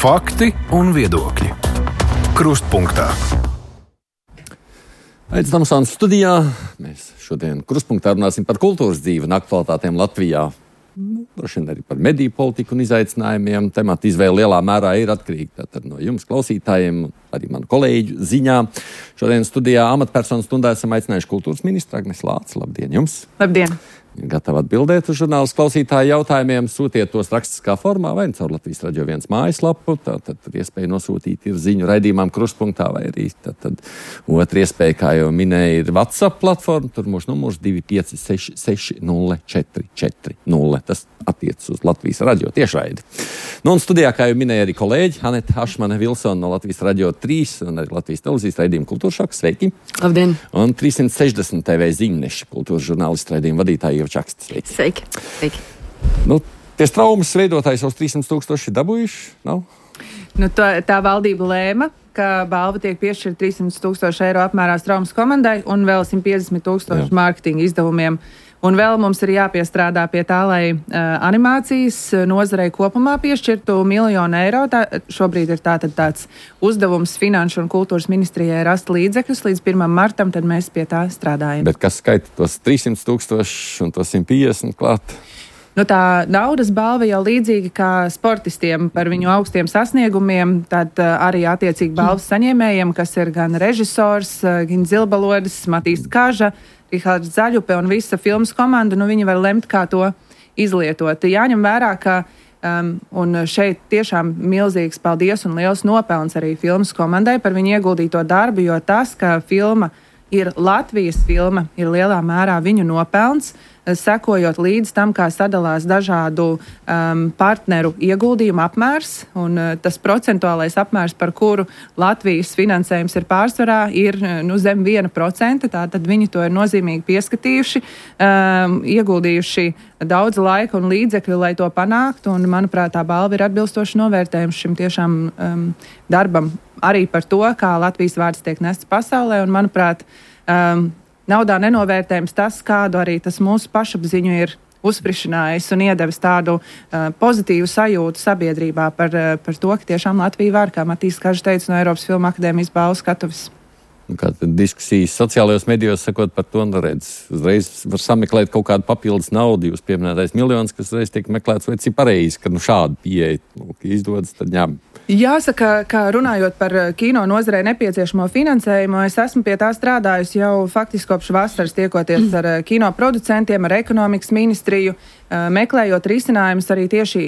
Fakti un viedokļi. Krustpunktā. Aizs Damsāns studijā. Mēs šodien Krustpunktā runāsim par kultūras dzīvi un aktualitātēm Latvijā. Droši vien arī par mediju politiku un izaicinājumiem. Temata izvēle lielā mērā ir atkarīga no jums, klausītājiem, arī manu kolēģu ziņā. Šodien studijā amatpersonu stundā esam aicinājuši kultūras ministru Agnesi Lāci. Labdien jums! Labdien! Ir gatava atbildēt uz žurnālistu klausītāju jautājumiem. Sūtiet tos rakstiskā formā vai caur Latvijas Radio 1 mājaslapu. Tad iespēja nosūtīt ir ziņu raidījumam Krustpunktā vai arī tad otra iespēja, kā jau minēja, ir WhatsApp platforma. Tur mūsu numurs 256-60-440. Tas attiecas uz Latvijas Radio tiešraidi. Nu un studijā, kā jau minēja arī kolēģi, Aneta Hašmane Vilsona no Latvijas Radio 3 un arī Latvijas televīzijas raidījuma Kultūršoks. Sveiki! Labdien! Un 360 TV ziņneša kultūras žurnālistu raidījuma vadītāja Čakste. Sveiki. Sveiki. Nu, tie traumas veidotājs jau 300,000 dabūjuši, nav? Nu, tā valdība lēma, ka balva tiek piešķirta 300,000 eiro apmērā traumas komandai un vēl 150,000 mārketinga izdevumiem. Un vēl mums ir jāpiestrādā pie tā, lai animācijas nozarei kopumā piešķirtu 1 000 000 eiro. Šobrīd ir tāds uzdevums Finanšu un kultūras ministrijai rast līdzekļus līdz 1. martam, tad mēs pie tā strādājam. Bet kas skaita tos 300,000 un tos 150 klāt? Nu, tā naudas balva jau līdzīga kā sportistiem par viņu augstiem sasniegumiem, tad arī attiecīgi balvas saņēmējiem, kas ir gan režisors, gan Zilbalodis, Matīs Kaža, Rihards Zaļupe un visa filmas komanda, viņi var lemt, kā to izlietot. Jāņem vērā, ka un šeit tiešām milzīgs paldies un liels nopelns arī filmas komandai par viņu ieguldīto darbu, jo tas, ka filma ir Latvijas filma, ir lielā mērā viņu nopelns, sekojot līdz tam, kā sadalās dažādu partneru ieguldījumu apmērs, un tas procentuālais apmērs, par kuru Latvijas finansējums ir pārsvarā, ir zem 1%, tātad viņi to ir nozīmīgi pieskatījuši, ieguldījuši daudz laika un līdzekļu, lai to panāktu, un, manuprāt, tā balva ir atbilstoši novērtējums šim tiešām darbam arī par to, kā Latvijas vārds tiek nests pasaulē, un, manuprāt, naudā nenovērtējums tas, kādu arī tas mūsu pašapziņu ir uzsprišanājis un iedevis tādu pozitīvu sajūtu sabiedrībā par to, ka tiešām Latvija var, kā Matīs Kažs teica, no Eiropas Filmu akadēmijas balvu skatuves. Kā diskusijas sociālajos medijos sakot par to, uzreiz var sameklēt kaut kādu papildus naudu, jūs pieminētais miljons, kas uzreiz tiek meklēts, vai cik pareizi, ka šādu pieeja izdodas, tad ņem. Jāsaka, ka runājot par kino nozarei nepieciešamo finansējumu, es esmu pie tā strādājusi jau faktiski kopš vasaras, tiekoties ar kino producentiem, ar ekonomikas ministriju, meklējot risinājumus arī tieši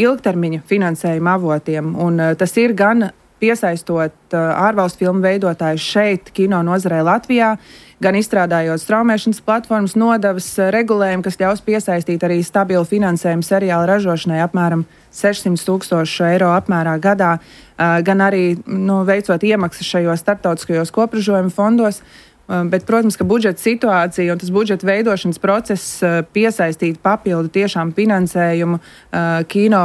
ilgtermiņa finansējuma avotiem. Un tas ir gan piesaistot ārvalstu filmu veidotājus šeit, kino nozarei Latvijā, gan izstrādājot straumēšanas platformas nodevas regulējumu, kas ļaus piesaistīt arī stabilu finansējumu seriāla ražošanai apmēram 600,000 eiro apmērā gadā, gan arī veicot iemaksas šajos starptautiskajos kopražojuma fondos. Bet, protams, ka budžeta situācija un tas budžeta veidošanas process piesaistīt papildu tiešām finansējumu kino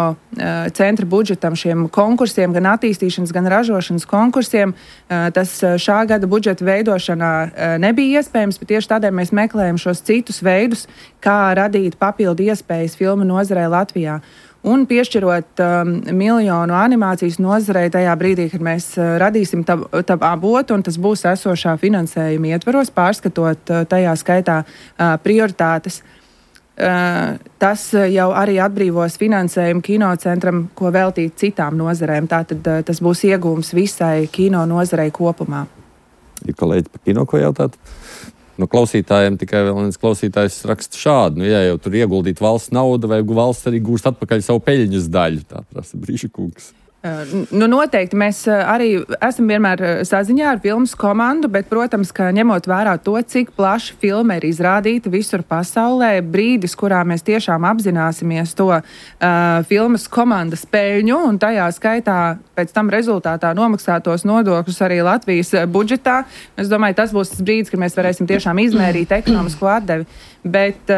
centra budžetam šiem konkursiem, gan attīstīšanas, gan ražošanas konkursiem. Tas šā gada budžeta veidošanā nebija iespējams, bet tieši tādēļ mēs meklējam šos citus veidus, kā radīt papildu iespējas filmu nozarei Latvijā. Un piešķirot 1 miljonu animācijas nozarei tajā brīdī, kad mēs radīsim tā avotu, un tas būs esošā finansējuma ietvaros, pārskatot tajā skaitā prioritātes. Tas jau arī atbrīvos finansējumu kinocentram, ko veltīt citām nozarēm. Tātad tas būs iegūms visai kino nozarei kopumā. Ir kolēģi par kino, ko jautāt? No klausītājiem tikai vēl viens klausītājs raksta šādu. Ja jau tur ieguldīt valsts naudu, vai valsts arī gūst atpakaļ savu peļņas daļu, tā prasa Brīša kungs. Noteikti mēs arī esam vienmēr saziņā ar filmas komandu, bet, protams, ka ņemot vērā to, cik plaši filma ir izrādīta visur pasaulē, brīdis, kurā mēs tiešām apzināsimies to filmas komandas peļņu un tajā skaitā pēc tam rezultātā nomaksātos nodokļus arī Latvijas budžetā. Es domāju, tas būs tas brīdis, kad mēs varēsim tiešām izmērīt ekonomisko atdevi. Bet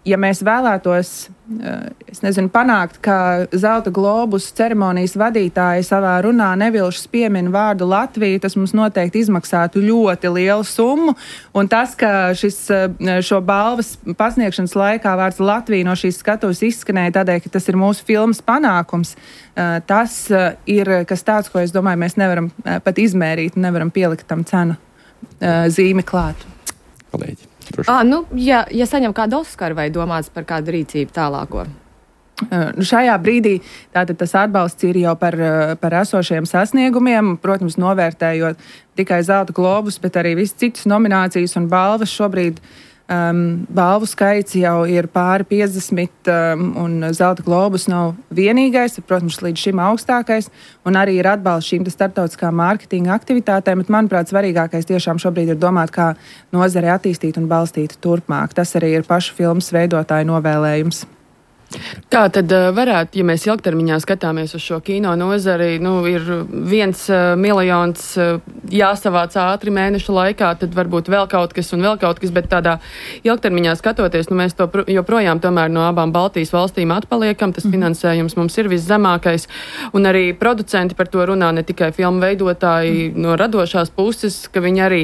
Ja mēs vēlētos, panākt, ka Zelta globus ceremonijas vadītāji savā runā nevilšas piemin vārdu Latviju, tas mums noteikti izmaksātu ļoti lielu summu. Un tas, ka šo balvas pasniegšanas laikā vārds Latvija no šīs skatuves izskanēja tādēļ, ka tas ir mūsu filmas panākums, tas ir kas tāds, ko es domāju, mēs nevaram pat izmērīt, nevaram pielikt tam cenu zīmi klāt. Kolēģi. Ja saņem kādu Oskaru vai domāts par kādu rīcību tālāko? Šajā brīdī tātad tas atbalsts ir jau par esošiem sasniegumiem, protams, novērtējot tikai Zelta globus, bet arī visas citas nominācijas un balvas. Šobrīd balvu skaits jau ir pāri 50, un Zelta globus nav vienīgais, protams, līdz šim augstākais, un arī ir atbalsts šīm starptautiskām mārketinga aktivitātēm, bet, manuprāt, svarīgākais tiešām šobrīd ir domāt, kā nozare attīstīt un balstīt turpmāk. Tas arī ir pašu filmas veidotāju novēlējums. Kā tad varētu, ja mēs ilgtermiņā skatāmies uz šo kino nozari, ir 1 miljons jāsavāc ātri mēnešu laikā, tad varbūt vēl kaut kas, bet tādā ilgtermiņā skatoties, mēs to joprojām tomēr no abām Baltijas valstīm atpaliekam, tas finansējums mums ir viszemākais, un arī producenti par to runā, ne tikai filmu veidotāji no radošās puses, ka viņi arī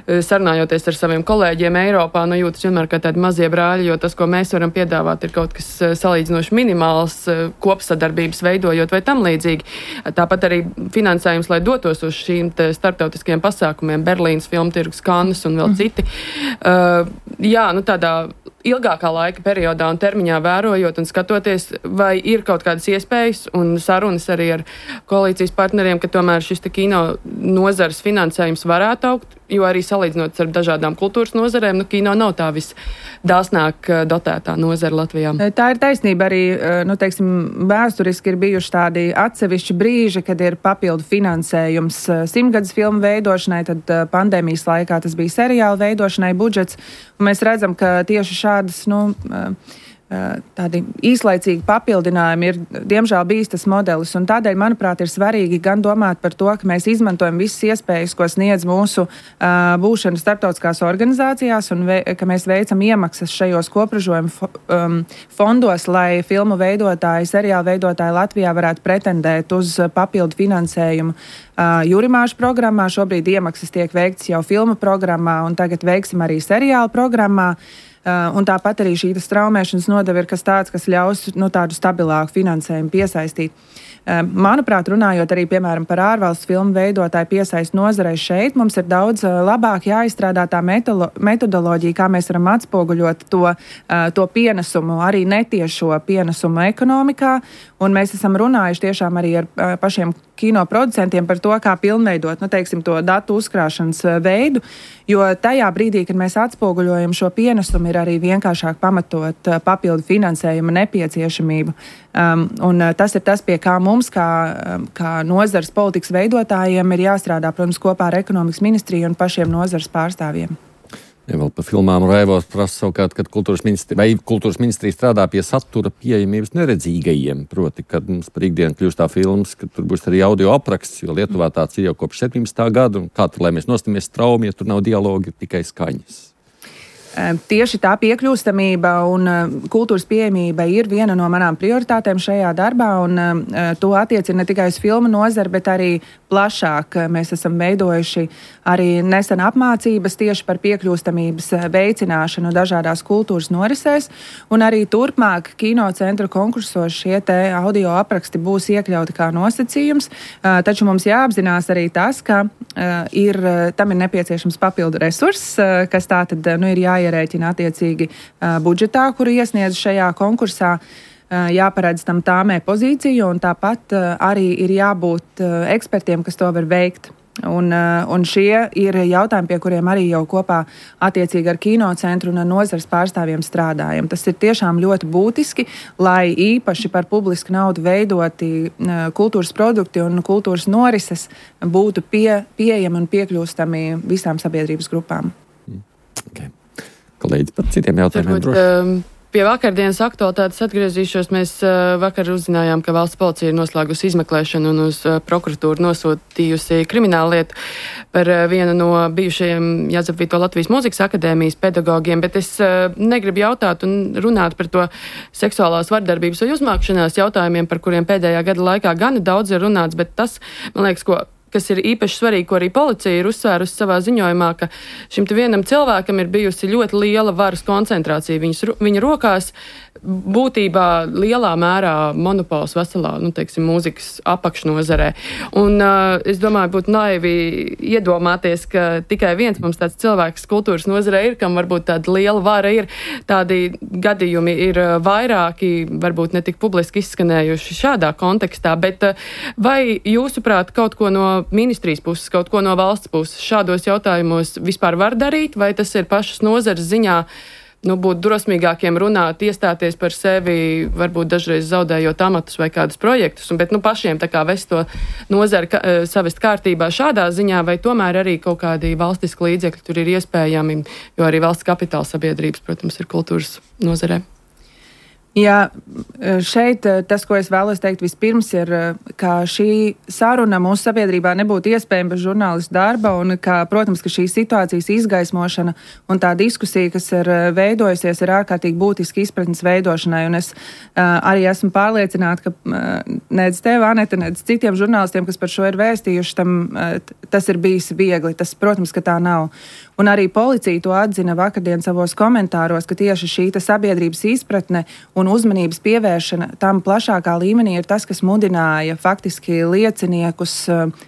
sarunājoties ar saviem kolēģiem Eiropā, jūtas vienmēr kā tādi mazie brāļi, jo tas, ko mēs varam piedāvāt, ir kaut kas salīdzinoši minimāls, kopsadarbības veidojot vai tam līdzīgi. Tāpat arī finansējums, lai dotos uz šīm starptautiskiem pasākumiem, Berlīnas filmtirgus, Kannes un vēl citi. Tādā ilgākā laika periodā un termiņā vērojot un skatoties, vai ir kaut kādas iespējas un sarunas arī ar koalīcijas partneriem, ka tomēr šis kino nozares finansējums varētu augt, jo arī salīdzinot ar dažādām kultūras nozarēm, kino nav tā visdāsnāk dotētā nozara Latvijā. Tā ir taisnība arī, vēsturiski ir bijuši tādi atsevišķi brīži, kad ir papildu finansējums 100-gadus filmu veidošanai, tad pandēmijas laikā tas bija seriāla veidošanai budžets, un mēs redzam, ka tieši šādas, tādi īslaicīgi papildinājumi ir, diemžēl, bijis tas modelis, un tādēļ, manuprāt, ir svarīgi gan domāt par to, ka mēs izmantojam visas iespējas, ko sniedz mūsu būšana starptautiskās organizācijās, un ka mēs veicam iemaksas šajos kopražojumu fondos, lai filmu veidotāji, seriālu veidotāji Latvijā varētu pretendēt uz papildu finansējumu Jurimāšu programmā. Šobrīd iemaksas tiek veikts jau filmu programmā, un tagad veiksim arī seriālu programmā. Un tāpat arī šī straumēšanas nodeva ir kas tāds, kas ļaus tādu stabilāku finansējumu piesaistīt. Manuprāt, runājot arī, piemēram, par ārvalstu filmu veidotāju piesaistu nozarei šeit, mums ir daudz labāk jāizstrādā tā metodoloģija, kā mēs varam atspoguļot to pienesumu, arī netiešo pienesumu ekonomikā, un mēs esam runājuši tiešām arī ar pašiem kino producentiem par to, kā pilnveidot, to datu uzkrāšanas veidu, jo tajā brīdī, kad mēs atspoguļojam šo pienesumu, ir arī vienkāršāk pamatot papildu finansējuma nepieciešamību. Un tas ir tas, pie kā mums, kā nozares politikas veidotājiem, ir jāstrādā, protams, kopā ar ekonomikas ministriju un pašiem nozares pārstāvjiem. Ja vēl par filmām Raivos prasa savukārt, kad kultūras ministrija strādā pie satura pieejamības neredzīgajiem, proti, kad mums par ikdienu kļūst tā filmas, ka tur būs arī audio apraksts, jo Lietuvā tāds ir jau kopš 17. gada, un kā tad, lai mēs nostamies straumi, ja tur nav dialogi, tikai skaņas. Tieši tā piekļūstamība un kultūras pieejamība ir viena no manām prioritātēm šajā darbā, un to attiecina ne tikai uz filmu nozari, bet arī plašāk. Mēs esam veidojuši arī nesen apmācības tieši par piekļūstamības veicināšanu dažādās kultūras norisēs, un arī turpmāk kinocentra konkursos šie audio apraksti būs iekļauti kā nosacījums, taču mums jāapzinās arī tas, ka tam ir nepieciešams papildu resurss, kas tā tad ir jāierēķina attiecīgi budžetā, kuru iesniedz šajā konkursā. Jāparedz tam tāmē pozīciju, un tāpat arī ir jābūt ekspertiem, kas to var veikt. Un šie ir jautājumi, pie kuriem arī jau kopā attiecīgi ar kinocentru un nozares pārstāvjiem strādājam. Tas ir tiešām ļoti būtiski, lai īpaši par publisku naudu veidoti kultūras produkti un kultūras norises būtu pieejami un piekļūstami visām sabiedrības grupām. Okay. Kolēģi, par citiem jautājumiem droši. Pie vakardienas aktualitātes atgriezīšos. Mēs vakar uzzinājām, ka valsts policija ir noslēgusi izmeklēšanu un uz prokuratūru nosūtījusi kriminālu lietu par vienu no bijušajiem Jāzepvīto Latvijas Mūzikas akadēmijas pedagogiem, bet es negribu jautāt un runāt par to seksuālās vardarbības vai uzmākšanās jautājumiem, par kuriem pēdējā gada laikā gana daudz ir runāts, bet tas, man liekas, kas ir īpaši svarīgi, ko arī policija ir uzsvērusi savā ziņojumā, ka šim te vienam cilvēkam ir bijusi ļoti liela varas koncentrācija viņa rokās, būtībā lielā mērā monopols veselā, teiksim, mūzikas apakšnozarē. Un es domāju, būtu naivi iedomāties, ka tikai viens mums tāds cilvēks kultūras nozarē ir, kam varbūt tāda liela vara ir. Tādi gadījumi ir vairāki, varbūt ne tik publiski izskanējuši šādā kontekstā, bet vai jūsuprāt kaut ko no ministrijas puses, kaut ko no valsts puses šādos jautājumos vispār var darīt, vai tas ir pašas nozares ziņā būt drosmīgākiem runāt, iestāties par sevi, varbūt dažreiz zaudējot amatus vai kādus projektus, bet pašiem tā kā vest to nozari savest kārtībā šādā ziņā, vai tomēr arī kaut kādi valstiski līdzekļi tur ir iespējami, jo arī valsts kapitāla sabiedrības, protams, ir kultūras nozarē. Jā, šeit tas, ko es vēlos teikt vispirms, ir, ka šī saruna mūsu sabiedrībā nebūtu iespējama bez žurnālistu darba un, ka, protams, ka šī situācijas izgaismošana un tā diskusija, kas ir veidojusies, ir ārkārtīgi būtiski izpratnes veidošanai. Un es arī esmu pārliecināta, ka nec tev, Aneta, nec citiem žurnālistiem, kas par šo ir vēstījuši, tas ir bijis viegli. Tas, protams, ka tā nav. Un arī policija to atzina vakardien savos komentāros, ka tieši šī sabiedrības izpratne un uzmanības pievēršana tam plašākā līmenī ir tas, kas mudināja faktiski lieciniekus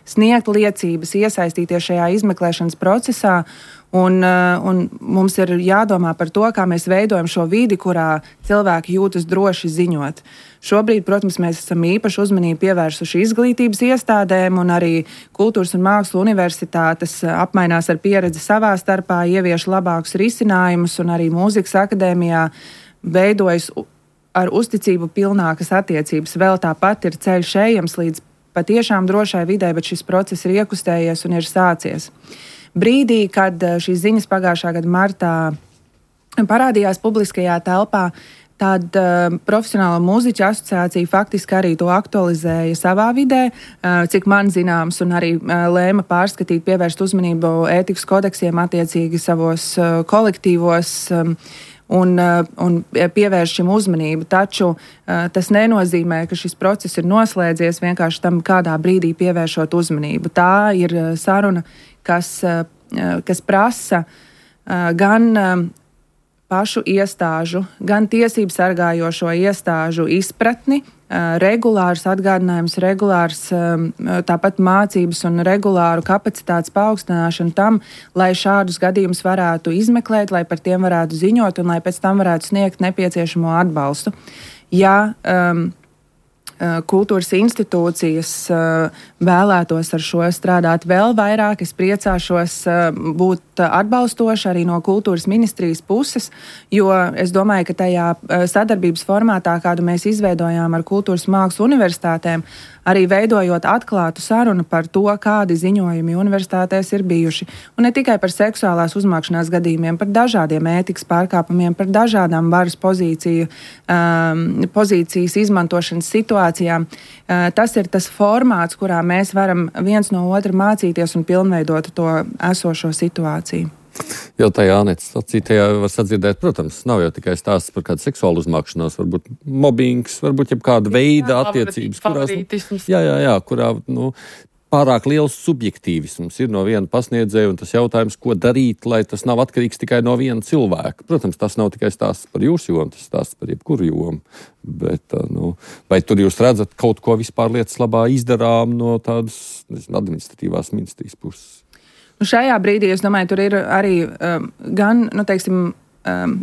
sniegt liecības, iesaistīties šajā izmeklēšanas procesā. Un mums ir jādomā par to, kā mēs veidojam šo vidi, kurā cilvēki jūtas droši ziņot. Šobrīd, protams, mēs esam īpaši uzmanību pievērsuši izglītības iestādēm, un arī Kultūras un Mākslu universitātes apmainās ar pieredzi savā starpā, ievieš labākus risinājumus, un arī Mūzikas akadēmijā veidojas ar uzticību pilnākas attiecības. Vēl tāpat ir ceļš ejams līdz patiešām drošai vidē, bet šis process ir iekustējies un ir sācies. Brīdī, kad šīs ziņas pagājušā gada martā parādījās publiskajā telpā, tad Profesionālo mūziķu asociācija faktiski arī to aktualizēja savā vidē, cik man zināms, un arī lēma pārskatīt, pievērst uzmanību ētikas kodeksiem attiecīgi savos kolektīvos un pievērš šim uzmanību. Taču tas nenozīmē, ka šis process ir noslēdzies vienkārši tam kādā brīdī pievēršot uzmanību. Tā ir saruna, kas prasa gan pašu iestāžu, gan tiesību sargājošo iestāžu izpratni, regulārus atgādinājumus, regulārs tāpat mācības un regulāru kapacitātes paaugstināšanu tam, lai šādus gadījumus varētu izmeklēt, lai par tiem varētu ziņot un lai pēc tam varētu sniegt nepieciešamo atbalstu. Ja kultūras institūcijas vēlētos ar šo strādāt vēl vairāk, es priecāšos būt atbalstoši arī no kultūras ministrijas puses, jo es domāju, ka tajā sadarbības formātā, kādu mēs izveidojām ar Kultūras Mākslu universitātēm, arī veidojot atklātu sarunu par to, kādi ziņojumi universitātēs ir bijuši. Un ne tikai par seksuālās uzmākšanās gadījumiem, par dažādiem ētikas pārkāpumiem, par dažādām varas pozīcijas izmantošanas situācijām. Tas ir tas formāts, kurā mēs varam viens no otra mācīties un pilnveidot to esošo situāciju. Jau tajā Anētas sacītajā var sadzirdēt, protams, nav jau tikai stāsts par kādu seksuālu uzmākšanos, varbūt mobbings, varbūt jebkāda veida attiecības, kurā pārāk liels subjektīvisms ir no viena pasniedzēja, un tas jautājums, ko darīt, lai tas nav atkarīgs tikai no viena cilvēka. Protams, tas nav tikai stāsts par jūsu jomu, tas stāsts par jebkuru jomu, bet vai tur jūs redzat kaut ko vispār lietas labā izdarām no tādas administratīvās ministrijas puses? Šajā brīdī, es domāju, tur ir arī gan,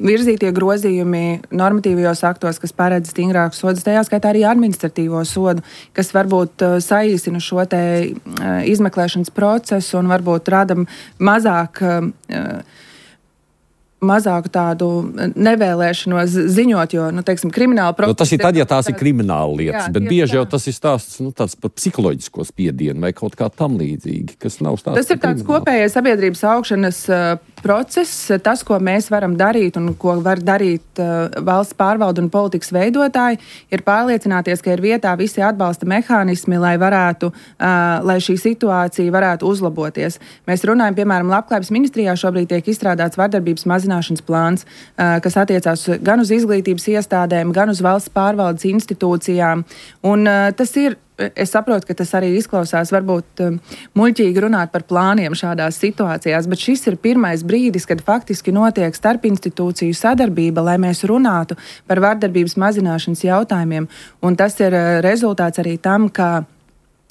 virzītie grozījumi normatīvajos aktos, kas paredz stingrākus sodus, tajā skaitā arī administratīvo sodu, kas varbūt saīsina šo te izmeklēšanas procesu un varbūt rada mazāku tādu nevēlēšanos ziņot, jo, krimināla procesa... Tas ir tad, ja tās ir krimināla lietas, bet bieži jau tas ir stāsts tāds par psiholoģisko spiedienu vai kaut kā tam līdzīgi, kas nav stāsts. Tas ir tāds kopējais sabiedrības augšanas process, tas, ko mēs varam darīt un ko var darīt valsts pārvalde un politikas veidotāji, ir pārliecināties, ka ir vietā visi atbalsta mehānismi, lai šī situācija varētu uzlaboties. Mēs runājam, piemēram, Labklājības ministrijā šobrīd tiek izstrādāts vardarbības mazināšanas plāns, kas attiecās gan uz izglītības iestādēm, gan uz valsts pārvaldes institūcijām. Un tas ir. Es saprotu, ka tas arī izklausās varbūt muļķīgi runāt par plāniem šādās situācijās, bet šis ir pirmais brīdis, kad faktiski notiek starpinstitūciju sadarbība, lai mēs runātu par vardarbības mazināšanas jautājumiem. Un tas ir rezultāts arī tam, ka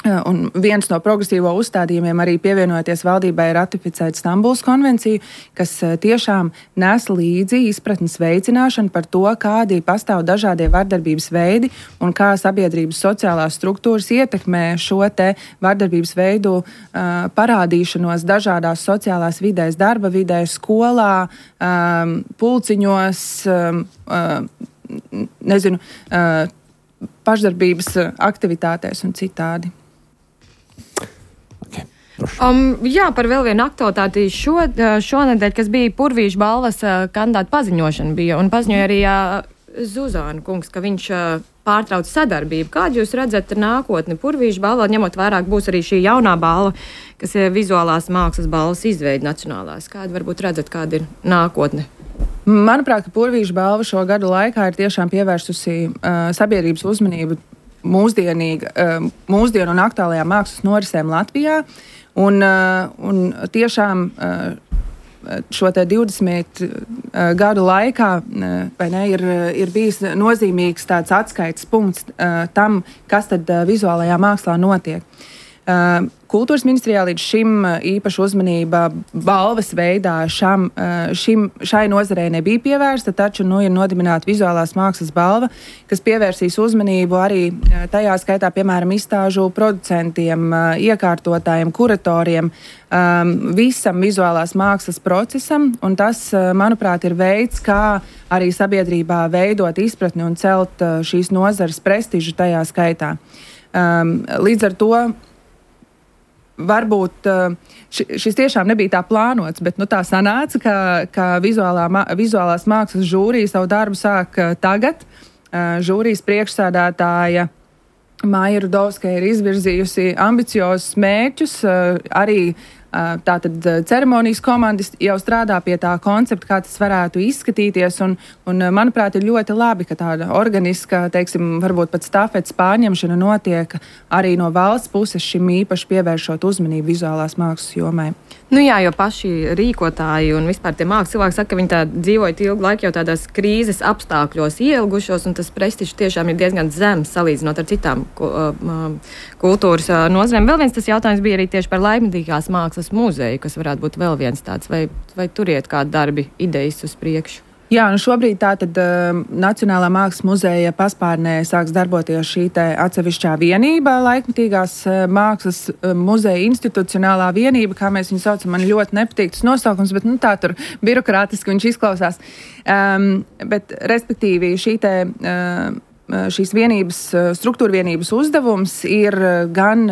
un viens no progresīvo uzstādījumiem arī pievienojoties valdībai ratificēt Stambulas konvenciju, kas tiešām nes līdzi izpratnes veicināšanu par to, kādi pastāv dažādie vardarbības veidi un kā sabiedrības sociālās struktūras ietekmē šo te vardarbības veidu parādīšanos dažādās sociālās vidēs, darba vidē, skolā, pulciņos, pašdarbības aktivitātēs un citādi. Jā, par vēl vienu aktualitāti šonedēļ, kas bija Purvīša balvas kandidāta paziņošana bija, un paziņoja arī Zuzāna kungs, ka viņš pārtrauc sadarbību. Kādu jūs redzat nākotni Purvīša balvā, ņemot vērā, būs arī šī jaunā balva, kas ir vizuālās mākslas balvas izveida nacionālās? Kādu varbūt redzat, kāda ir nākotne? Manuprāt, ka Purvīša balva šo gadu laikā ir tiešām pievērsusi sabiedrības uzmanību mūsdienu un aktuālajām mākslas norisēm Latvijā. Un tiešām šo te 20 gadu laikā ir bijis nozīmīgs tāds atskaites punkts tam, kas tad vizuālajā mākslā notiek. Kultūras ministrijā līdz šim īpaša uzmanība balvas veidā šai nozarei nebija pievērsta, taču ir nodibināta vizuālās mākslas balva, kas pievērsīs uzmanību arī tajā skaitā, piemēram, izstāžu producentiem, iekārtotājiem, kuratoriem, visam vizuālās mākslas procesam, un tas, manuprāt, ir veids, kā arī sabiedrībā veidot izpratni un celt šīs nozares prestižu tajā skaitā. Līdz ar to varbūt šis tiešām nebija tā plānots, bet tā sanāca, ka vizuālās mākslas žūrija savu darbu sāk tagad. Žūrijas priekšsēdētāja Maija Rudovska ir izvirzījusi ambiciozus mērķus, arī tātad ceremonijas komandas jau strādā pie tā koncepta, kā tas varētu izskatīties, un manuprāt, ir ļoti labi, ka tāda organiska, varbūt pat stafetes pārņemšana notiek arī no valsts puses šim īpaši pievēršot uzmanību vizuālās mākslas jomai. Jā, jo paši rīkotāji un vispār tie mākslas cilvēki saka, ka viņi tā dzīvoja ilgu laiku jau tādās krīzes apstākļos ielgušos, un tas prestižs tiešām ir diezgan zems salīdzinot ar citām kultūras nozarēm. Vēl viens tas jautājums bija arī tieši par laikmetīgās mākslas muzeju, kas varētu būt vēl viens tāds, vai tur iet kādi darbi, idejas uz priekšu? Jā, šobrīd tātad Nacionālā mākslas muzeja paspārnē sāks darboties šī te atsevišķā vienība, laikmetīgās mākslas muzeja institucionālā vienība, kā mēs viņu saucam, man ļoti nepatīk tas nosaukums, bet tā tur birokrātiski viņš izklausās. Bet, respektīvi, šīs vienības, struktūra vienības uzdevums ir gan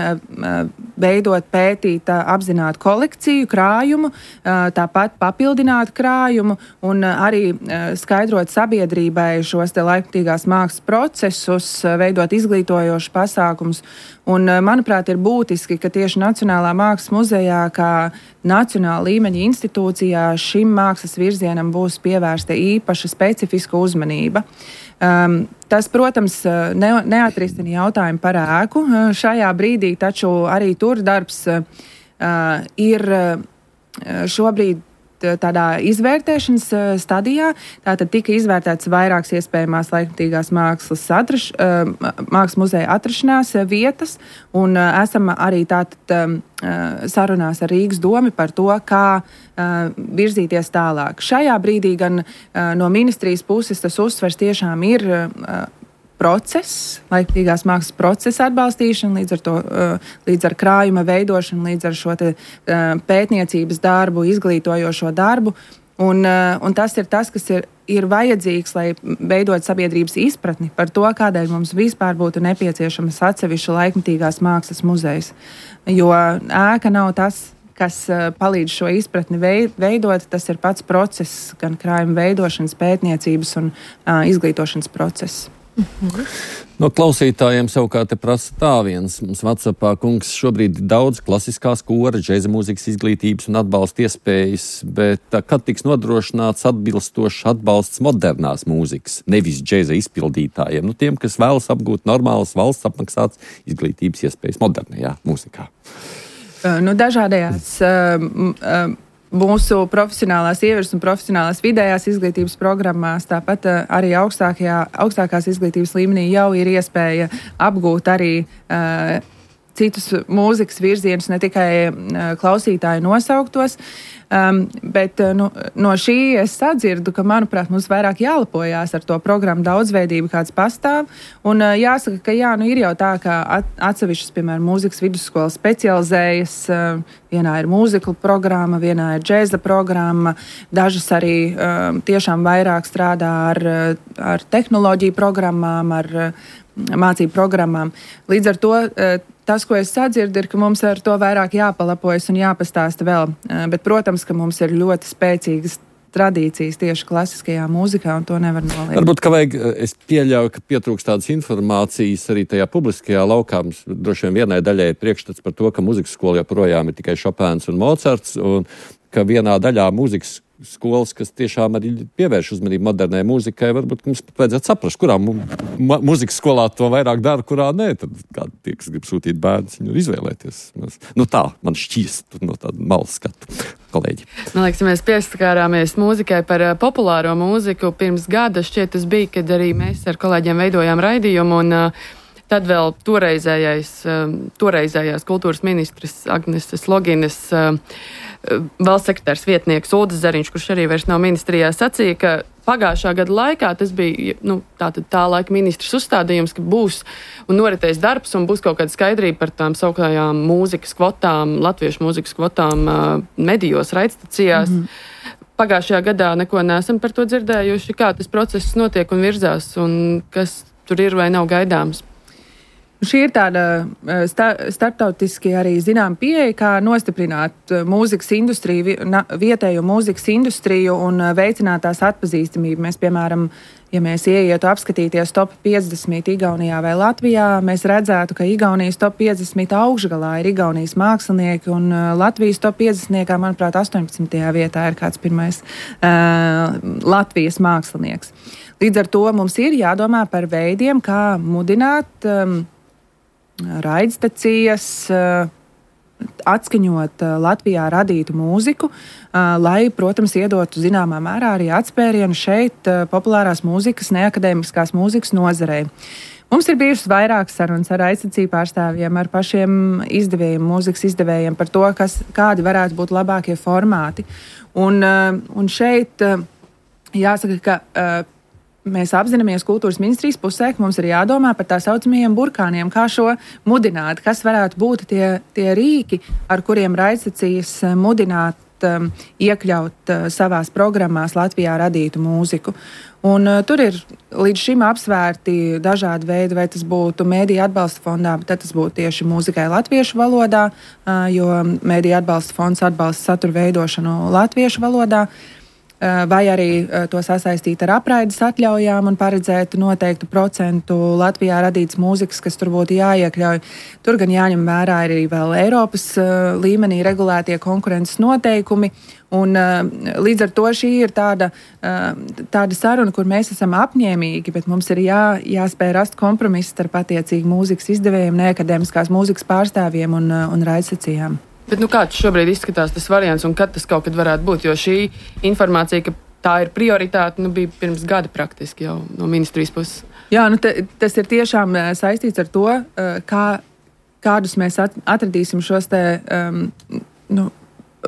veidot, pētīt, apzināt kolekciju, krājumu, tāpat papildināt krājumu un arī skaidrot sabiedrībai šos te laikmetīgās mākslas procesus, veidot izglītojošus pasākumus. Un, manuprāt, ir būtiski, ka tieši Nacionālā mākslas muzejā, kā nacionāla līmeņa institūcijā, šim mākslas virzienam būs pievērsta īpaša specifiska uzmanība. Tas, protams, neatrisina jautājumu par ēku šajā brīdī, taču arī tur darbs ir šobrīd tādā izvērtēšanas stadijā. Tātad tika izvērtēts vairākas iespējamās laikmetīgās mākslas muzeja atrašanās vietas, un esam arī tātad sarunās ar Rīgas domi par to, kā virzīties tālāk. Šajā brīdī gan no ministrijas puses tas uzsvers tiešām ir process, laikmetīgās mākslas procesa atbalstīšana, līdz ar krājuma veidošanu, līdz ar šo te pētniecības darbu, izglītojošo darbu. Un tas ir tas, kas ir vajadzīgs, lai veidot sabiedrības izpratni par to, kādēļ mums vispār būtu nepieciešamas atsevišķa laikmetīgās mākslas muzejs. Jo ēka nav tas, kas palīdz šo izpratni veidot. Tas ir pats process, gan krājuma veidošanas, pētniecības un izglītošanas process. No klausītājiem savukārt te prasa tā viens. Mums WhatsAppā, kungs, šobrīd ir daudz klasiskās kora, džēza mūzikas izglītības un atbalsta iespējas, bet kad tiks nodrošināts atbilstošs atbalsts modernās mūzikas, nevis džēza izpildītājiem, tiem, kas vēlas apgūt normālas valsts apmaksātas izglītības iespējas modernajā mūzikā? Dažādajās mūsu profesionālās ievirs un profesionālās vidējās izglītības programmās, tāpat arī augstākās izglītības līmenī jau ir iespēja apgūt arī citus mūzikas virzienus, ne tikai klausītāju nosauktos. Bet no šī es sadzirdu, ka, manuprāt, mums vairāk jālepojās ar to programmu daudzveidību, kāds pastāv. Un jāsaka, ka ir jau tā, ka atsevišķas, piemēram, mūzikas vidusskolas specializējas. Vienā ir mūzikla programma, vienā ir džēza programma. Dažas arī tiešām vairāk strādā ar tehnoloģiju programmām, ar mācību programmām. Līdz ar to tas, ko es sadzirdu, ir, ka mums ar to vairāk jāpalapojas un jāpastāsta vēl. Bet, protams, ka mums ir ļoti spēcīgas tradīcijas tieši klasiskajā mūzikā, un to nevar noliegt. Varbūt, ka es pieļauju, ka pietrūkst tādas informācijas arī tajā publiskajā laukā. Mums droši vien vienai daļai ir priekšstats par to, ka mūzikas skola joprojām ir tikai Šopēns un Mocarts, un ka vienā daļā mūzikas skolas, kas tiešām arī pievērš uzmanību modernai mūzikai, varbūt mums pat vajadzētu saprast, kurā mūzikas skolā to vairāk dara, kurā nē. Tad kādi tie, kas grib sūtīt bērnus, viņu izvēlēties. Tā, man šķīst no tāda malas skatu, kolēģi. Man liekas, mēs pieskārāmies mūzikai par populāro mūziku pirms gada. Šķiet, tas bija, kad arī mēs ar kolēģiem veidojām raidījumu, un tad vēl toreizējās kultūras ministres Agneses Loginas valsts sekretārs vietnieks Uldis Zariņš, kurš arī vairs nav ministrijā, sacīja, ka pagājušā gada laikā tas bija tā laika ministrs uzstādījums, ka būs un noritēs darbs un būs kaut kāda skaidrība par tām sauktajām mūzikas kvotām, latviešu mūzikas kvotām medijos, raidstacijās. Pagājušajā gadā neko neesam par to dzirdējuši, kā tas process notiek un virzās un kas tur ir vai nav gaidāms. Šī ir tāda starptautiski arī zinām pieeja, kā nostiprināt mūzikas industriju, vietējo mūzikas industriju un veicināt tās atpazīstamību. Mēs, piemēram, ja mēs ieietu apskatīties top 50 Igaunijā vai Latvijā, mēs redzētu, ka Igaunijas top 50 augšgalā ir Igaunijas mākslinieki un Latvijas top 50, manuprāt, 18. vietā ir kāds pirmais Latvijas mākslinieks. Līdz ar to mums ir jādomā par veidiem, kā mudināt raidstacijas, atskaņot Latvijā radītu mūziku, lai, protams, iedotu zināmā mērā arī atspērienu šeit populārās mūzikas, neakadēmiskās mūzikas nozarei. Mums ir bijušas vairākas sarunas ar raidstaciju pārstāvjiem, ar pašiem izdevējiem, mūzikas izdevējiem par to, kādi varētu būt labākie formāti. Un šeit jāsaka, ka mēs apzināmies kultūras ministrijas pusē, ka mums ir jādomā par tā saucamajiem burkāniem, kā šo mudināt, kas varētu būt tie rīki, ar kuriem raidstacijas mudināt iekļaut savās programmās Latvijā radītu mūziku. Un tur ir līdz šim apsvērti dažādi veidi, vai tas būtu Mēdīju atbalsta fondā, bet tad tas būtu tieši mūzikai latviešu valodā, jo Mēdīju atbalsta fonds atbalsta satura veidošanu latviešu valodā. Vai arī to sasaistīt ar apraides atļaujām un paredzēt noteiktu procentu Latvijā radītas mūzikas, kas tur būtu jāiekļauj. Tur gan jāņem vērā arī vēl Eiropas līmenī regulētie konkurences noteikumi. Un līdz ar to šī ir tāda saruna, kur mēs esam apņēmīgi, bet mums ir jāspēj rast kompromisu starp attiecīgi mūzikas izdevējiem, neakadēmiskās mūzikas pārstāvjiem un raidstacijām. Bet kāds šobrīd izskatās tas variants un kad tas kaut kad varētu būt? Jo šī informācija, ka tā ir prioritāte, bija pirms gada praktiski jau no ministrijas puses. Jā, tas ir tiešām saistīts ar to, kādus mēs atradīsim šos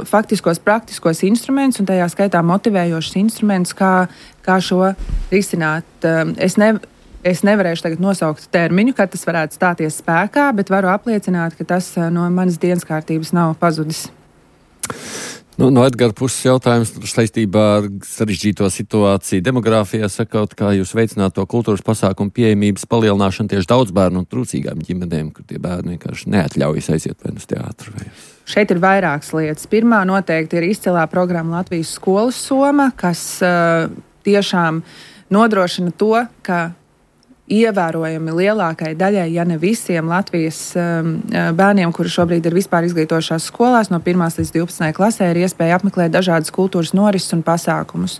faktiskos, praktiskos instrumentus un tajā skaitā motivējošus instrumentus, kā šo risināt. Es nevarēšu tagad nosaukt termiņu, kad tas varētu stāties spēkā, bet varu apliecināt, ka tas no manas dienas kārtības nav pazudis. No Edgara puses jautājums saistībā ar sarežģīto situāciju demogrāfijā sakot, kā jūs veicināt to kultūras pasākumu pieejamības palielināšanu tieši daudz bērnu un trūcīgām ģimenēm, kur tie bērni vienkārši neatļaujas aiziet vai uz teātru. Šeit ir vairākas lietas. Pirmā noteikti ir izcilā programma Latvijas skolas soma, kas tiešām nodrošina to, ka ievērojami lielākai daļai, ja ne visiem Latvijas bērniem, kuri šobrīd ir vispār izglītošās skolās, no 1. līdz 12. klasē ir iespēja apmeklēt dažādas kultūras norises un pasākumus.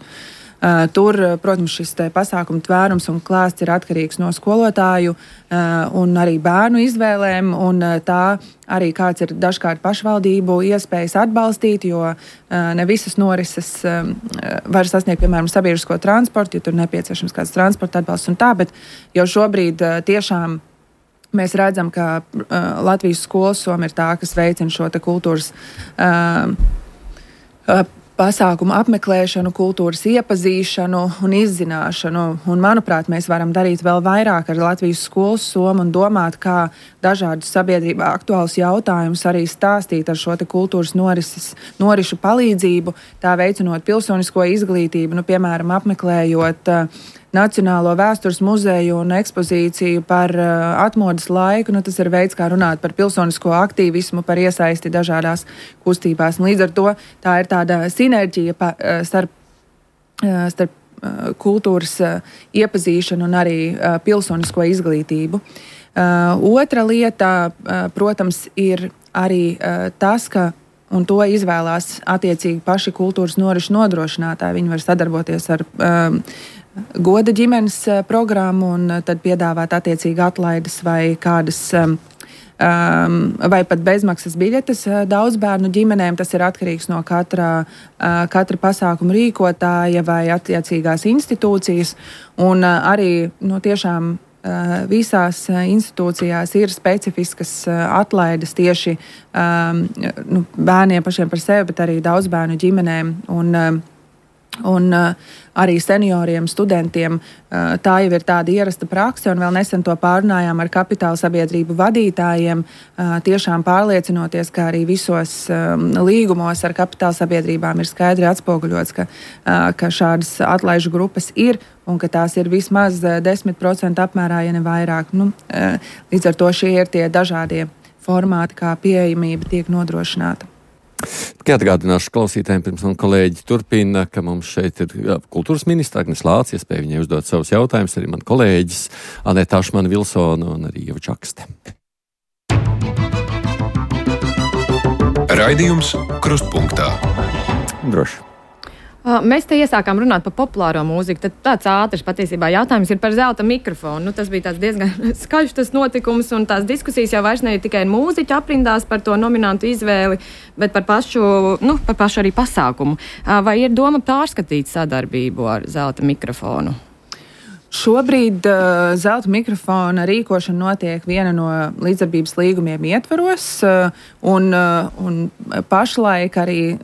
Tur, protams, šis pasākumu tvērums un klāsts ir atkarīgs no skolotāju un arī bērnu izvēlēm, un tā arī kāds ir dažkārt pašvaldību iespējas atbalstīt, jo ne visas norises var sasniegt, piemēram, sabiedrisko transportu, ja tur nepieciešams kāds transporta atbalsts un tā, bet jau šobrīd tiešām mēs redzam, ka Latvijas skolas soma ir tā, kas veicina šo te kultūras pasākumu apmeklēšanu, kultūras iepazīšanu un izzināšanu. Un, manuprāt, mēs varam darīt vēl vairāk ar Latvijas skolas somu un domāt, kā dažādus sabiedrībā aktuālus jautājumus arī stāstīt ar šo te kultūras norišu palīdzību, tā veicinot pilsonisko izglītību, piemēram, apmeklējot Nacionālo vēstures muzeju un ekspozīciju par atmodas laiku. Tas ir veids, kā runāt par pilsonisko aktīvismu, par iesaisti dažādās kustībās. Līdz ar to tā ir tāda sinerģija starp kultūras iepazīšanu un arī pilsonisko izglītību. Otra lieta, protams, ir arī tas, ka un to izvēlās attiecīgi paši kultūras norišu nodrošinātāji. Viņi var sadarboties ar goda ģimenes programmu un tad piedāvāt attiecīgi atlaides vai kādas vai pat bezmaksas biļetes daudz bērnu ģimenēm. Tas ir atkarīgs no katra pasākuma rīkotāja vai attiecīgās institūcijas. Un arī tiešām visās institūcijās ir specifiskas atlaides tieši bērniem pašiem par sevi, bet arī daudz bērnu ģimenēm un arī senioriem, studentiem. Tā jau ir tāda ierasta prakse, un vēl nesen to pārunājām ar kapitāla sabiedrību vadītājiem, tiešām pārliecinoties, ka arī visos līgumos ar kapitāla sabiedrībām ir skaidri atspoguļots, ka šādas atlaižu grupas ir, un ka tās ir vismaz 10% apmērā, ja ne vairāk. Līdz ar to šie ir tie dažādie formāti, kā pieejamība tiek nodrošināta. Tikai atgādināšu klausītājiem, pirms man kolēģi turpina, ka mums šeit ir kultūras ministra Agnes Lācis, iespēja viņai uzdot savus jautājumus, arī man kolēģis Aneta Ašmana-Vilsona un arī Ieva Čakste. Raidījums Krustpunktā. Droši. Mēs te iesākām runāt par populāro mūziku, tad tāds ātrs patiesībā jautājums ir par zelta mikrofonu. Tas bija tāds diezgan skaļš tas notikums, un tās diskusijas jau vairs ne tikai mūziķu aprindās par to nominantu izvēli, bet par pašu arī pasākumu. Vai ir doma pārskatīt sadarbību ar zelta mikrofonu? Šobrīd zelta mikrofona rīkošana notiek viena no līdzdarbības līgumiem ietvaros, un pašlaik arī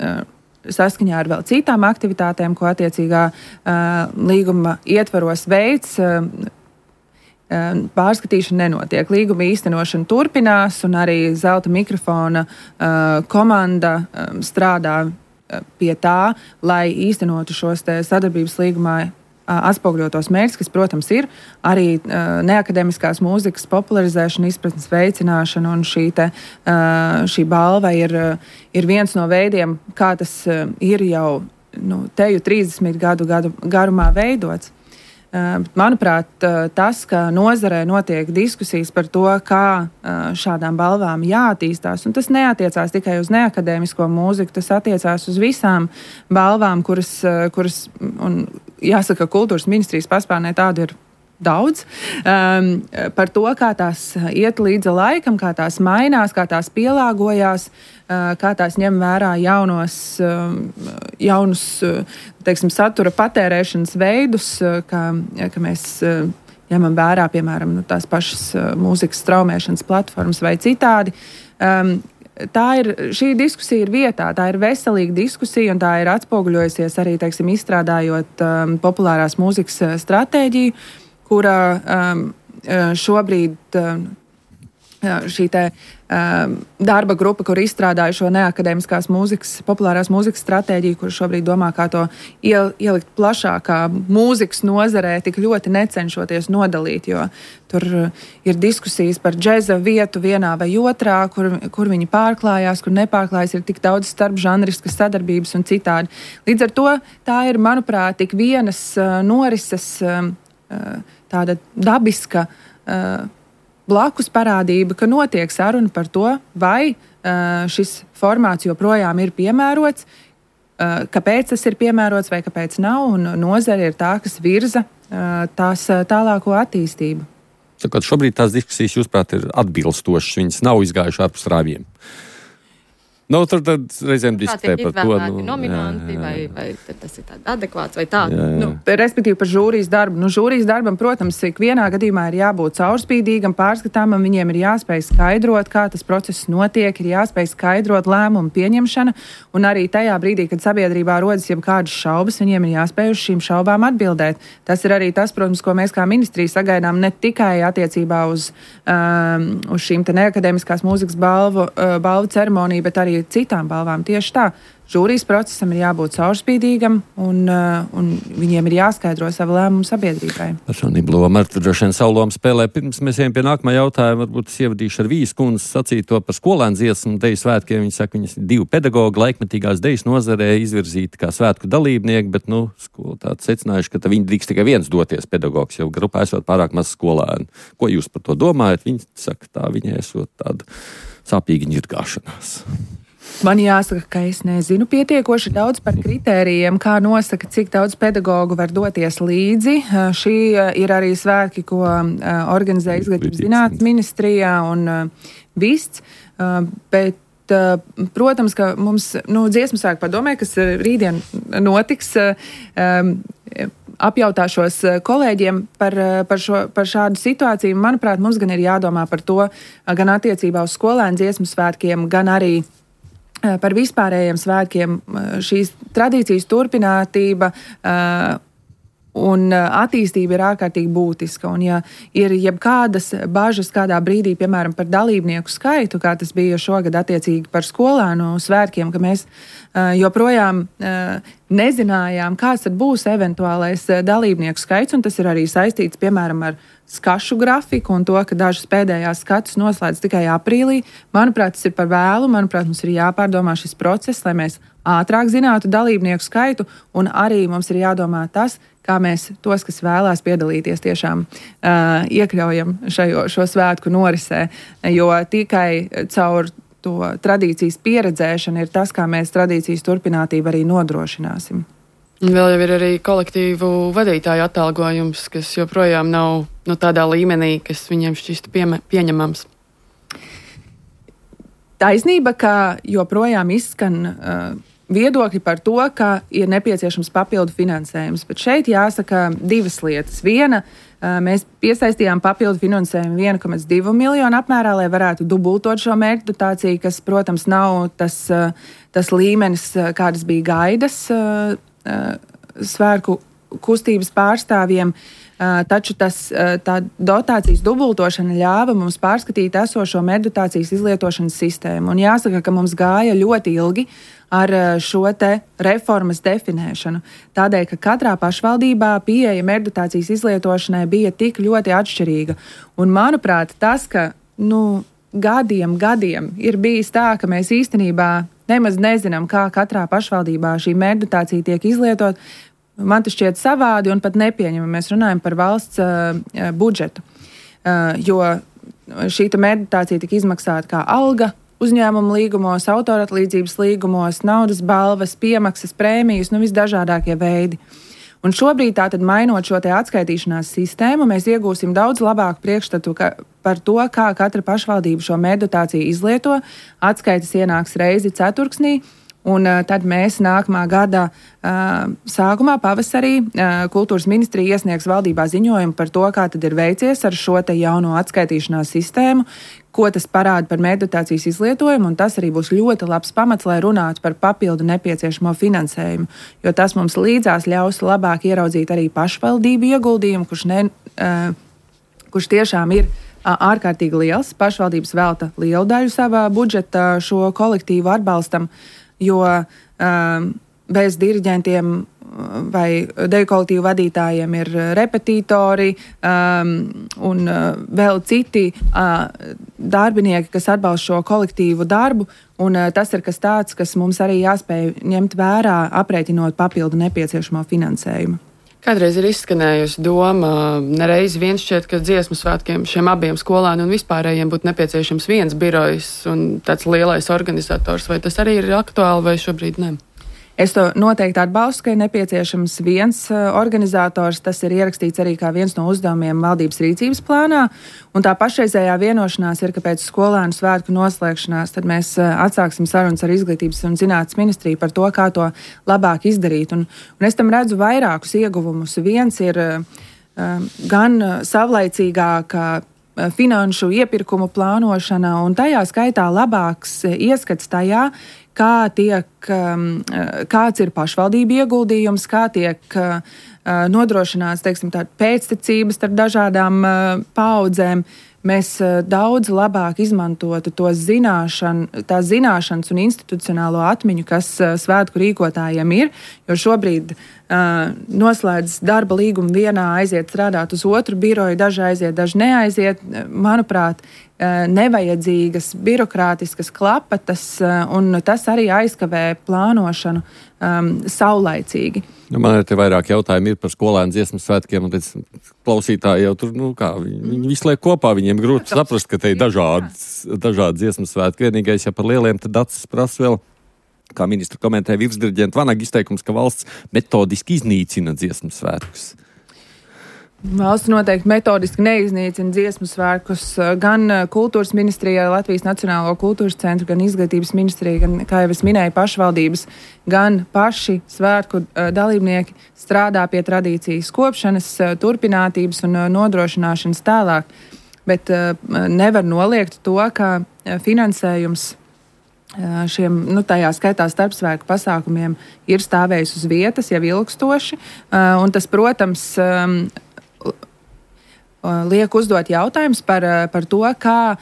saskaņā ar vēl citām aktivitātēm, ko attiecīgā līguma ietvaros veids, pārskatīšana nenotiek. Līguma īstenošana turpinās, un arī zelta mikrofona komanda strādā pie tā, lai īstenotu šos te sadarbības līgumā atspoguļotos mērķus, kas, protams, ir arī neakademiskās mūzikas popularizēšana, izpratnes veicināšana, un šī balva ir viens no veidiem, kā tas ir jau teju 30 gadu garumā veidots. Manuprāt, tas, ka nozarē notiek diskusijas par to, kā šādām balvām jāattīstās, un tas neatiecās tikai uz neakadēmisko mūziku, tas attiecās uz visām balvām, kuras un jāsaka, kultūras ministrijas paspārnē tādu ir daudz, par to, kā tās iet līdzi laikam, kā tās mainās, kā tās pielāgojās, kā tās ņem vērā jaunus, teiksim, satura patērēšanas veidus, ka mēs ņemam vērā, piemēram, tās pašas mūzikas straumēšanas platformas vai citādi. Šī diskusija ir vietā, tā ir veselīga diskusija, un tā ir atspoguļojusies arī, teiksim, izstrādājot populārās mūzikas stratēģiju, kura šobrīd šī te darba grupa, kur izstrādāja šo neakadēmiskās mūzikas, populārās mūzikas stratēģiju, kur šobrīd domā, kā to ielikt plašākā mūzikas nozarē, tik ļoti necenšoties nodalīt, jo tur ir diskusijas par džeza vietu vienā vai otrā, kur viņi pārklājās, kur nepārklājās, ir tik daudz starpžanriskas sadarbības un citādi. Līdz ar to tā ir, manuprāt, tik vienas norises tāda dabiska blakus parādība, ka notiek saruna par to, vai šis formāts joprojām ir piemērots, kāpēc tas ir piemērots vai kāpēc nav, un nozare ir tā, kas virza tās tālāko attīstību. Sakot, šobrīd tās diskusijas, jūsuprāt, ir atbilstošas, viņas nav izgājušas ārpus rāvjiem. Tur tad reizēm diskutē par to. Nominanti, vai tas ir tāds adekvāts vai tā? Respektīvi par žūrijas darbu. Žūrijas darbam, protams, ikvienā gadījumā ir jābūt caurspīdīgam, pārskatāmam, viņiem ir jāspēj skaidrot, kā tas process notiek, ir jāspēj skaidrot lēmumu pieņemšana, un arī tajā brīdī, kad sabiedrībā rodas jebkādas šaubas, viņiem ir jāspēj uz šīm šaubām atbildēt. Tas ir arī tas, protams, ko mēs kā ministrija sagaidām ne tikai attiecībā uz šīm te neakadēmiskās mūzikas balvu ceremoniju, bet arī citām balvām. Tieši tā, žūrijas procesam ir jābūt caurspīdīgam un viņiem ir jāskaidro savu lēmumu sabiedrībai. Personība loma, ar droši vien savu lomu spēlē. Pirms mēs ejam pie nākamā jautājuma, varbūt es ievadīšu ar Vijas kundzes sacīto par skolēnu dziesmu deju svētkiem. Viņa saka, viņas 2 pedagogi laikmetīgās dejas nozarē izvirzīti kā svētku dalībnieki, bet, skolotāji secinājuši, ka viņi drīkst tikai viens doties pedagogs, jo grupā esot pārāk maz skolēnu. Ko jūs par to domājat? Viņi saka, tā viņai esot tāda sāpīga ņirgāšanās. Man jāsaka, ka es nezinu pietiekoši daudz par kritērijiem, kā nosaka, cik daudz pedagogu var doties līdzi. Šī ir arī svētki, ko organizē Izglītības zinātnes ministrijā un VIST, bet, protams, ka mums dziesmu svētku padomē, kas rītdien notiks, apjautāšos kolēģiem par šādu situāciju. Manuprāt, mums gan ir jādomā par to gan attiecībā uz skolēnu dziesmu svētkiem, gan arī par vispārējiem svētkiem. Šīs tradīcijas turpinātība un attīstība ir ārkārtīgi būtiska. Un ja ir jebkādas bažas kādā brīdī, piemēram, par dalībnieku skaitu, kā tas bija šogad attiecīgi par skolēnu svētkiem, ka mēs joprojām nezinājām, kāds tad būs eventuālais dalībnieku skaits, un tas ir arī saistīts, piemēram, ar skašu grafiku un to, ka dažas pēdējās skatus noslēdz tikai aprīlī. Manuprāt, tas ir par vēlu. Manuprāt, mums ir jāpārdomā šis process, lai mēs ātrāk zinātu dalībnieku skaitu, un arī mums ir jādomā tas, kā mēs tos, kas vēlās piedalīties, tiešām iekļaujam šo svētku norisē, jo tikai caur to tradīcijas pieredzēšanu ir tas, kā mēs tradīcijas turpinātību arī nodrošināsim. Vēl jau ir arī kolektīvu vadītāju atalgojums, kas joprojām nav tādā līmenī, kas viņiem šķistu pieņemams. Taisnība, ka joprojām izskan viedokļi par to, ka ir nepieciešams papildu finansējums. Bet šeit jāsaka 2 lietas. Viena, mēs piesaistījām papildu finansējumu 1,2 miljonu apmērā, lai varētu dubultot šo mērķu dotāciju, kas, protams, nav tas līmenis, kādas bija gaidas svētku kustības pārstāvjiem, taču tā dotācijas dubultošana ļāva mums pārskatīt esošo meddotācijas izlietošanas sistēmu. Un jāsaka, ka mums gāja ļoti ilgi ar šo te reformas definēšanu. Tādēļ, ka katrā pašvaldībā pieeja meddotācijas izlietošanai bija tik ļoti atšķirīga. Un, manuprāt, tas, ka gadiem ir bijis tā, ka mēs īstenībā nemaz nezinām, kā katrā pašvaldībā šī meddotācija tiek izlietot, man tas šķiet savādi un pat nepieņemami. Mēs runājam par valsts budžetu, jo šī meddotācija tika izmaksāta kā alga uzņēmuma līgumos, autoratlīdzības līgumos, naudas balvas, piemaksas, prēmijas, visdažādākie veidi. Un šobrīd, tātad mainot šo te atskaitīšanās sistēmu, mēs iegūsim daudz labāku priekšstatu par to, kā katra pašvaldība šo meddotāciju izlieto. Atskaites ienāks reizi ceturksnī, un tad mēs nākamā gada sākumā, pavasarī, Kultūras ministrija iesniegs valdībā ziņojumu par to, kā tad ir veicies ar šo te jauno atskaitīšanās sistēmu, ko tas parāda par meddotācijas izlietojumu, un tas arī būs ļoti labs pamats, lai runātu par papildu nepieciešamo finansējumu, jo tas mums līdzās ļaus labāk ieraudzīt arī pašvaldību ieguldījumu, kurš tiešām ir ārkārtīgi liels. Pašvaldības velta lielu daļu savā budžeta šo kolektīvu atbalstam, jo bez diriģentiem vai deju kolektīvu vadītājiem ir repetitori un vēl citi darbinieki, kas atbalsta šo kolektīvu darbu, un tas ir kas tāds, kas mums arī jāspēj ņemt vērā, aprēķinot papildu nepieciešamo finansējumu. Kādreiz ir izskanējusi doma, nereiz viens šķiet, ka dziesmu svētkiem šiem abiem skolēniem un vispārējiem būtu nepieciešams viens birojs un tāds lielais organizators, vai tas arī ir aktuāli vai šobrīd ne? Es to noteikti atbalstu, ka ir nepieciešams viens organizators. Tas ir ierakstīts arī kā viens no uzdevumiem valdības rīcības plānā. Un tā pašreizējā vienošanās ir, ka pēc skolēnu svētku noslēgšanās tad mēs atsāksim sarunas ar Izglītības un zinātnes ministriju par to, kā to labāk izdarīt. Un es tam redzu vairākus ieguvumus. Viens ir gan savlaicīgāka finanšu iepirkumu plānošana un tajā skaitā labāks ieskats tajā, kāds ir pašvaldību ieguldījums, kā tiek nodrošināts, teiksim, tāda pēctecības starp dažādām paudzēm. Mēs daudz labāk izmantotu tās zināšanas un institucionālo atmiņu, kas svētku rīkotājiem ir, jo šobrīd noslēdz darba līgumu vienā, aiziet strādāt uz otru biroju, daži aiziet, daži neaiziet. Manuprāt, nevajadzīgas birokrātiskas klapatas, un tas arī aizkavē plānošanu saulaicīgi. Man ir te vairāk jautājumi par skolēnu dziesmu svētkiem, un klausītāji jau tur, viņi visu liek kopā, viņiem grūti saprast, ka te ir dažādi dziesmu svētki. Vienīgais, ja par lieliem, tad acis prasa vēl, kā ministra komentē virsdiriģenta Vanaga izteikums, ka valsts metodiski iznīcina dziesmu svētkus. Valsts noteikti metodiski neiznīcina dziesmu svētkus. Gan kultūras ministrijā, Latvijas Nacionālo kultūras centru, gan izglītības ministrijā, gan, kā jau es minēju, pašvaldības, gan paši svētku dalībnieki strādā pie tradīcijas kopšanas, turpinātības un nodrošināšanas tālāk. Bet nevar noliegt to, ka finansējums šiem, tajā skaitā starpsvētku pasākumiem ir stāvējis uz vietas jau ilgstoši, un tas, protams, liek uzdot jautājums par to, kā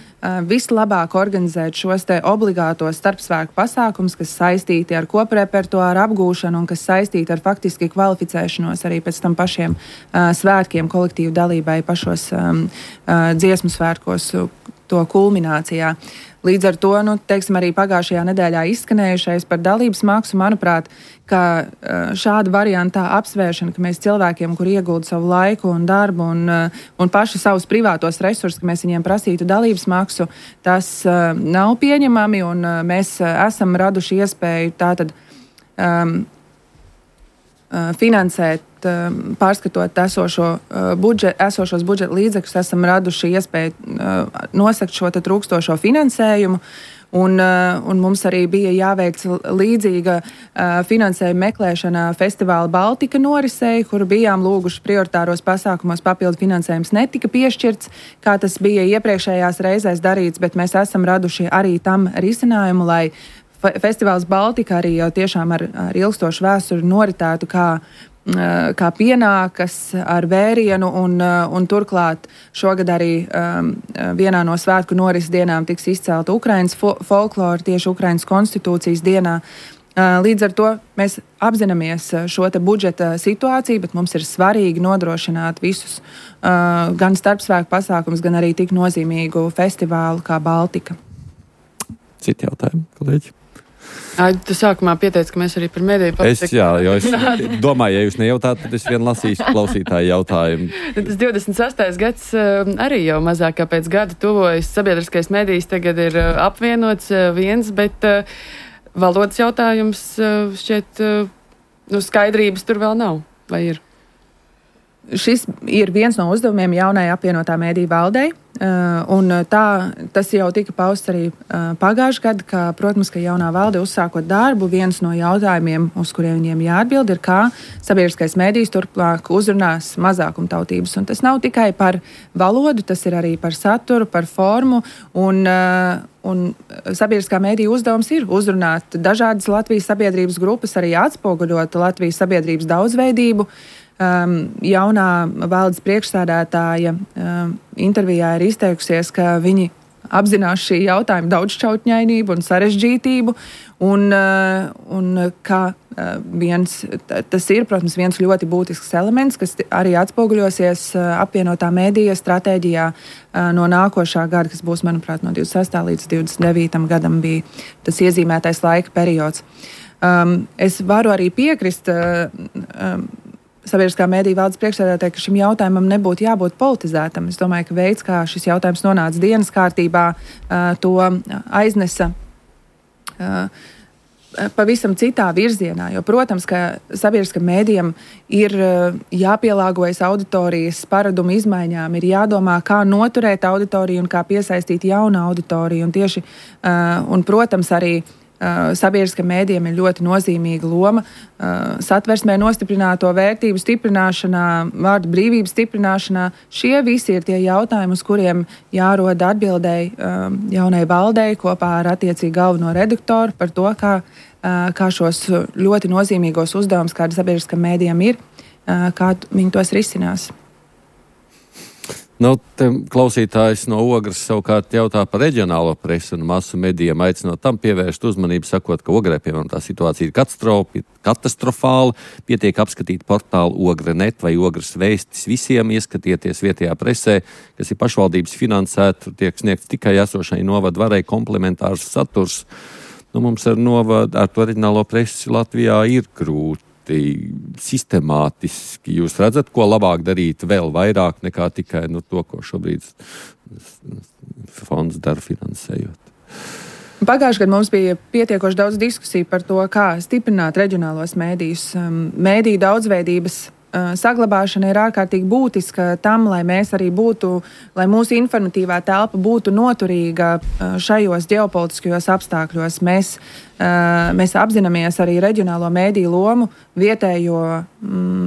vislabāk organizēt šos te obligātos starpsvētku pasākumus, kas saistīti ar koprepertuāru apgūšanu un kas saistīti ar faktiski kvalificēšanos arī pēc tam pašiem svētkiem kolektīvu dalībai pašos dziesmu svētkos to kulminācijā. Līdz ar to, teiksim, arī pagājušajā nedēļā izskanējušais par dalības maksu, manuprāt, ka šāda variantā apsvēršana, ka mēs cilvēkiem, kur iegulda savu laiku un darbu un paši savus privātos resursus, ka mēs viņiem prasītu dalības maksu, tas nav pieņemami, un mēs esam raduši iespēju tātad finansēt, pārskatot esošos budžeta līdzekļus, esam raduši iespēju nosakt šo trūkstošo finansējumu, un mums arī bija jāveic līdzīga finansējuma meklēšana festivāla Baltika norisei, kuru bijām lūguši prioritāros pasākumos, papildu finansējums netika piešķirts, kā tas bija iepriekšējās reizēs darīts, bet mēs esam raduši arī tam risinājumu, lai festivāls Baltika arī jau tiešām ar ilgstošu vēsturi noritētu kā pienākas ar vērienu, un turklāt šogad arī vienā no svētku norises dienām tiks izcelta Ukrainas folklora tieši Ukrainas konstitūcijas dienā. Līdz ar to mēs apzināmies šo te budžeta situāciju, bet mums ir svarīgi nodrošināt visus gan starpsvētku pasākumus, gan arī tik nozīmīgu festivālu kā Baltika. Citi jautājumi, kolēģi? Tu sākumā pieteici, ka mēs arī par mediju politiku. Es domāju, ja jūs nejautāt, tad es vien lasīšu klausītāju jautājumu. Tas 26. gads arī jau mazāk kā pēc gada tuvojas. Sabiedriskais medijs tagad ir apvienots viens, bet valodas jautājums šķiet, skaidrības tur vēl nav, vai ir? Šis ir viens no uzdevumiem jaunai apvienotā mediju valdei, un tas jau tika pausts arī pagājušajā gadā, ka, protams, ka jaunā valde uzsākot darbu, viens no jautājumiem, uz kuriem viņiem jāatbild, ir, kā sabiedriskais medijs turpmāk uzrunās mazākumtautības. Un tas nav tikai par valodu, tas ir arī par saturu, par formu, un sabiedriskā mediju uzdevums ir uzrunāt dažādas Latvijas sabiedrības grupas, arī atspoguļot Latvijas sabiedrības daudzveidību. jaunā valdes priekšsēdētāja intervijā ir izteikusies, ka viņi apzinās šī jautājuma daudzšķautņainību un sarežģītību, un ka tas ir, protams, viens ļoti būtisks elements, kas arī atspoguļosies apvienotā mēdīja stratēģijā no nākošā gada, kas būs, manuprāt, no 26. līdz 29. gadam bija tas iezīmētais laika periods. Es varu arī piekrist sabiedriskā mēdīja valdes priekšsēdētāji, ka šim jautājumam nebūtu jābūt politizētam. Es domāju, ka veids, kā šis jautājums nonāca dienas kārtībā, to aiznesa pavisam citā virzienā. Jo, protams, ka sabiedriskam mēdījam ir jāpielāgojas auditorijas paradumu izmaiņām, ir jādomā, kā noturēt auditoriju un kā piesaistīt jaunu auditoriju. Un, protams, arī sabiedriskam mēdījam ir ļoti nozīmīga loma satversmē nostiprināto vērtību stiprināšanā, vārdu brīvības stiprināšanā. Šie visi ir tie jautājumi, uz kuriem jārod atbildēji jaunai valdei kopā ar attiecīgi galveno redaktoru par to, kā šos ļoti nozīmīgos uzdevumus, kādi sabiedriskam mēdījam ir, kā viņi tos risinās. Klausītājs no Ogres savukārt jautā par reģionālo presi un masu medijiem, aicinot tam pievērst uzmanību, sakot, ka Ogrē, piemēram, tā situācija ir katastrofāla, pietiek apskatīt portālu Ogre.net vai Ogres vēstis visiem, ieskatieties vietējā presē, kas ir pašvaldības finansēta, tiek sniegts tikai esošai novadu varai komplementārs saturs. Mums ar to reģionālo presi Latvijā ir grūti. Sistemātiski jūs redzat, ko labāk darīt vēl vairāk nekā tikai to, ko šobrīd fonds dara finansējot? Pagājušajā gadā mums bija pietiekoši daudz diskusiju par to, kā stiprināt reģionālos mēdījus. Mēdīju daudzveidības saglabāšana ir ārkārtīgi būtiska tam, lai mēs arī lai mūsu informatīvā telpa būtu noturīga šajos ģeopolitiskajos apstākļos. Mēs apzināmies arī reģionālo mēdīju lomu vietējo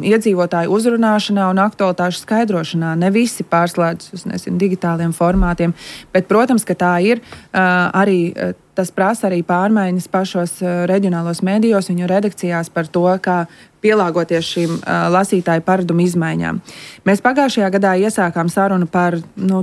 iedzīvotāju uzrunāšanā un aktualitāšu skaidrošanā. Ne visi pārslēdz uz digitāliem formātiem, bet, protams, ka tā ir arī. Tas prasa arī pārmaiņas pašos reģionālos mēdījos, viņu redakcijās par to, kā pielāgoties šīm lasītāju paradumu izmaiņām. Mēs pagājušajā gadā iesākām sarunu par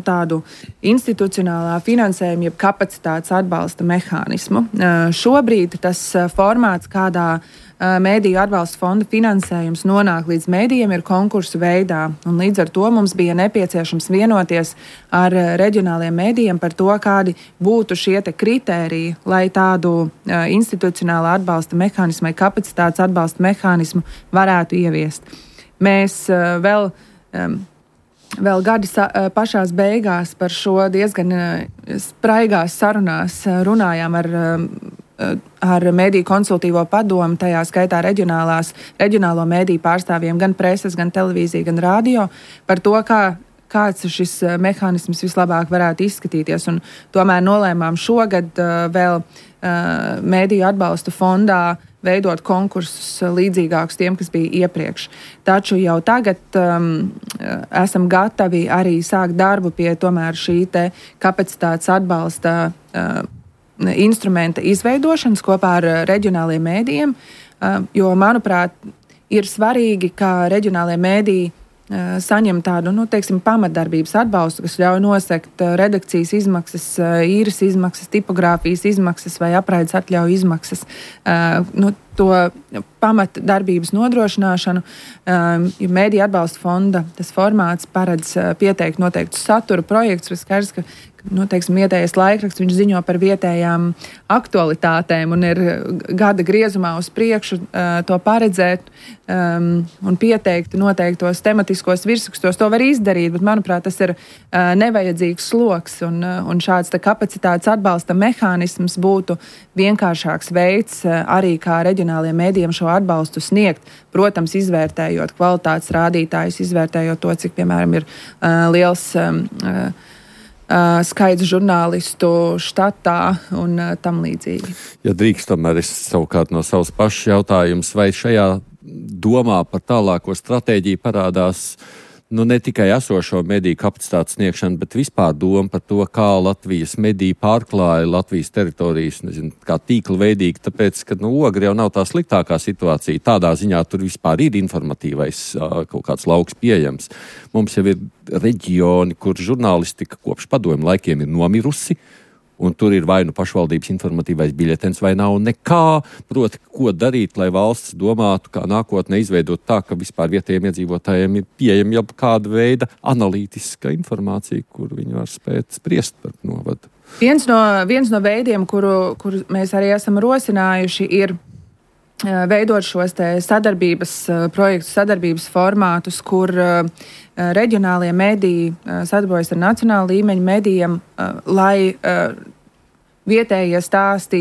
tādu institucionālā finansējuma, jeb kapacitātes atbalsta mehānismu. Šobrīd tas formāts, kādā mēdīju atbalsta fonda finansējums nonāk līdz mēdījiem, ir konkursu veidā. Un līdz ar to mums bija nepieciešams vienoties ar reģionāliem mēdījiem par to, kādi būtu šie kritēriji, lai tādu institucionālā atbalsta mehānismu vai kapacitātes atbalsta mehānismu varētu ieviest. Mēs vēl gada pašās beigās par šo diezgan spraigās sarunās runājām ar mediju konsultīvo padomu, tajā skaitā reģionālo mediju pārstāvjiem, gan preses, gan televīzija, gan radio, par to, kāds šis mehānisms vislabāk varētu izskatīties. Un tomēr nolēmām šogad vēl mediju atbalsta fondā veidot konkursus līdzīgākus tiem, kas bija iepriekš. Taču jau tagad esam gatavi arī sākt darbu pie tomēr šī kapacitātes atbalsta instrumenta izveidošanas kopā ar reģionāliem mēdījiem, jo, manuprāt, ir svarīgi, ka reģionālie mēdīji saņem tādu, pamatdarbības atbalstu, kas ļauj nosekt redakcijas izmaksas, īres izmaksas, tipogrāfijas izmaksas vai apraides atļauju izmaksas. To pamatdarbības nodrošināšanu, jo Mēdīju atbalsta fonda tas formāts paredz pieteikt noteiktus satura projektus, vai skaidrs, ka vietējais laikraksts, viņš ziņo par vietējām aktualitātēm un ir gada griezumā uz priekšu to paredzēt un pieteikt noteiktos tematiskos virsrakstos. To var izdarīt, bet, manuprāt, tas ir nevajadzīgs sloks un šāds kapacitātes atbalsta mehānisms būtu vienkāršāks veids arī kā reģionāliem mēdījiem šo atbalstu sniegt. Protams, izvērtējot kvalitātes rādītājus, izvērtējot to, cik, piemēram, ir liels skaits žurnālistu štatā un tam līdzīgi. Ja drīkst, tomēr es savukārt no savas pašas jautājums, vai šajā domā par tālāko stratēģiju parādās ne tikai esošo mediju kapacitātes sniegšanu, bet vispār doma par to, kā Latvijas mediji pārklāja Latvijas teritorijas, kā tīkla veidīgi, tāpēc, ka Ogre jau nav tā sliktākā situācija. Tādā ziņā tur vispār ir informatīvais kaut kāds lauks pieejams. Mums jau ir reģioni, kur žurnālistika kopš padomju laikiem ir nomirusi, un tur ir vai pašvaldības informatīvais biļetens, vai nav nekā, proti, ko darīt, lai valsts domātu, kā nākotnē izveidot tā, ka vispār vietējiem iedzīvotājiem ir pieejama jau kāda veida analītiska informācija, kur viņi var spēt spriest par novadu. Viens no veidiem, kuru mēs arī esam rosinājuši, ir veidot šos sadarbības projektus, sadarbības formātus, kur reģionālie mediji sadarbojas ar nacionālu līmeņu medijiem, lai vietējie stāsti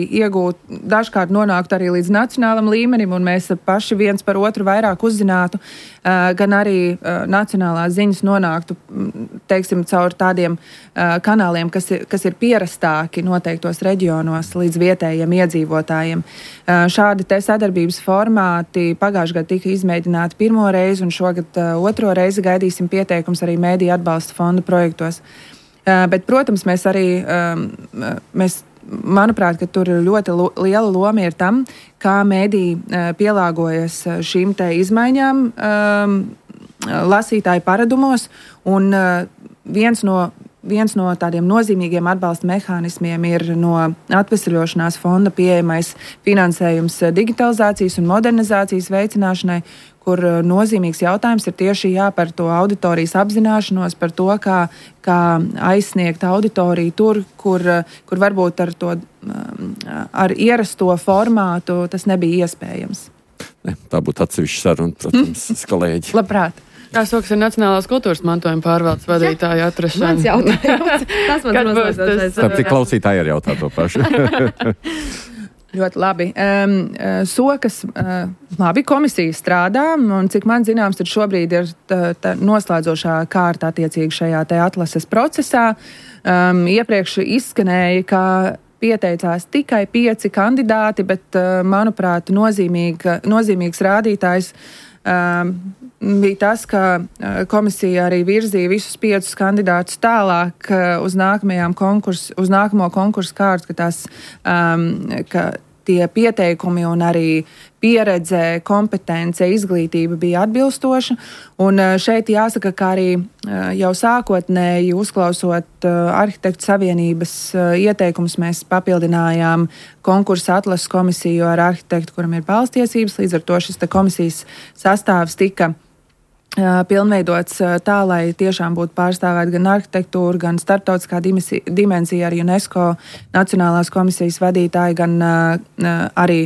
dažkārt nonāktu arī līdz nacionālam līmenim, un mēs paši viens par otru vairāk uzzinātu, gan arī nacionālās ziņas nonāktu, teiksim, caur tādiem kanāliem, kas ir pierastāki noteiktos reģionos līdz vietējiem iedzīvotājiem. Šādi sadarbības formāti pagājušajā gadā tika izmēģināti pirmo reizi, un šogad otro reizi gaidīsim pieteikums arī Mēdīju atbalsta fonda projektos. Bet, protams, manuprāt, ka tur ļoti liela loma ir tam, kā mēdī pielāgojas šīm izmaiņām lasītāju paradumos, un viens no tādiem nozīmīgiem atbalsta mehānismiem ir no atvesaļošanās fonda pieejamais finansējums digitalizācijas un modernizācijas veicināšanai, kur nozīmīgs jautājums ir tieši par to auditorijas apzināšanos, par to, kā aizsniegt auditoriju tur, kur varbūt ar ierasto formātu tas nebija iespējams. Tā būtu atsevišķa saruna, protams, kolēģi. Labprāt. Kā sokas ir Nacionālās kultūras mantojuma pārvaldes vadītāja atrašana? Mans jautājums. Tas man mazliet. Tāpēc klausītāji arī jautā to pašu. Ļoti labi. Sokas, labi, komisija strādā, un cik man zināms, tad šobrīd ir noslēdzošā kārta attiecīgi šajā atlases procesā. Iepriekš izskanēja, ka pieteicās tikai 5 kandidāti, bet, manuprāt, nozīmīgs rādītājs bija tas, ka komisija arī virzīja visus 5 kandidātus tālāk uz nākamo konkursu kārtu, ka tie pieteikumi un arī pieredze, kompetence, izglītība bija atbilstoša. Un šeit jāsaka, ka arī jau sākotnēji uzklausot Arhitektu savienības ieteikumus, mēs papildinājām konkursa atlases komisiju ar arhitektu, kuram ir balstiesības. Līdz ar to šis komisijas sastāvs tika pilnveidots tā, lai tiešām būtu pārstāvēt gan arhitektūra, gan starptautiskā dimensija ar UNESCO Nacionālās komisijas vadītāji, gan arī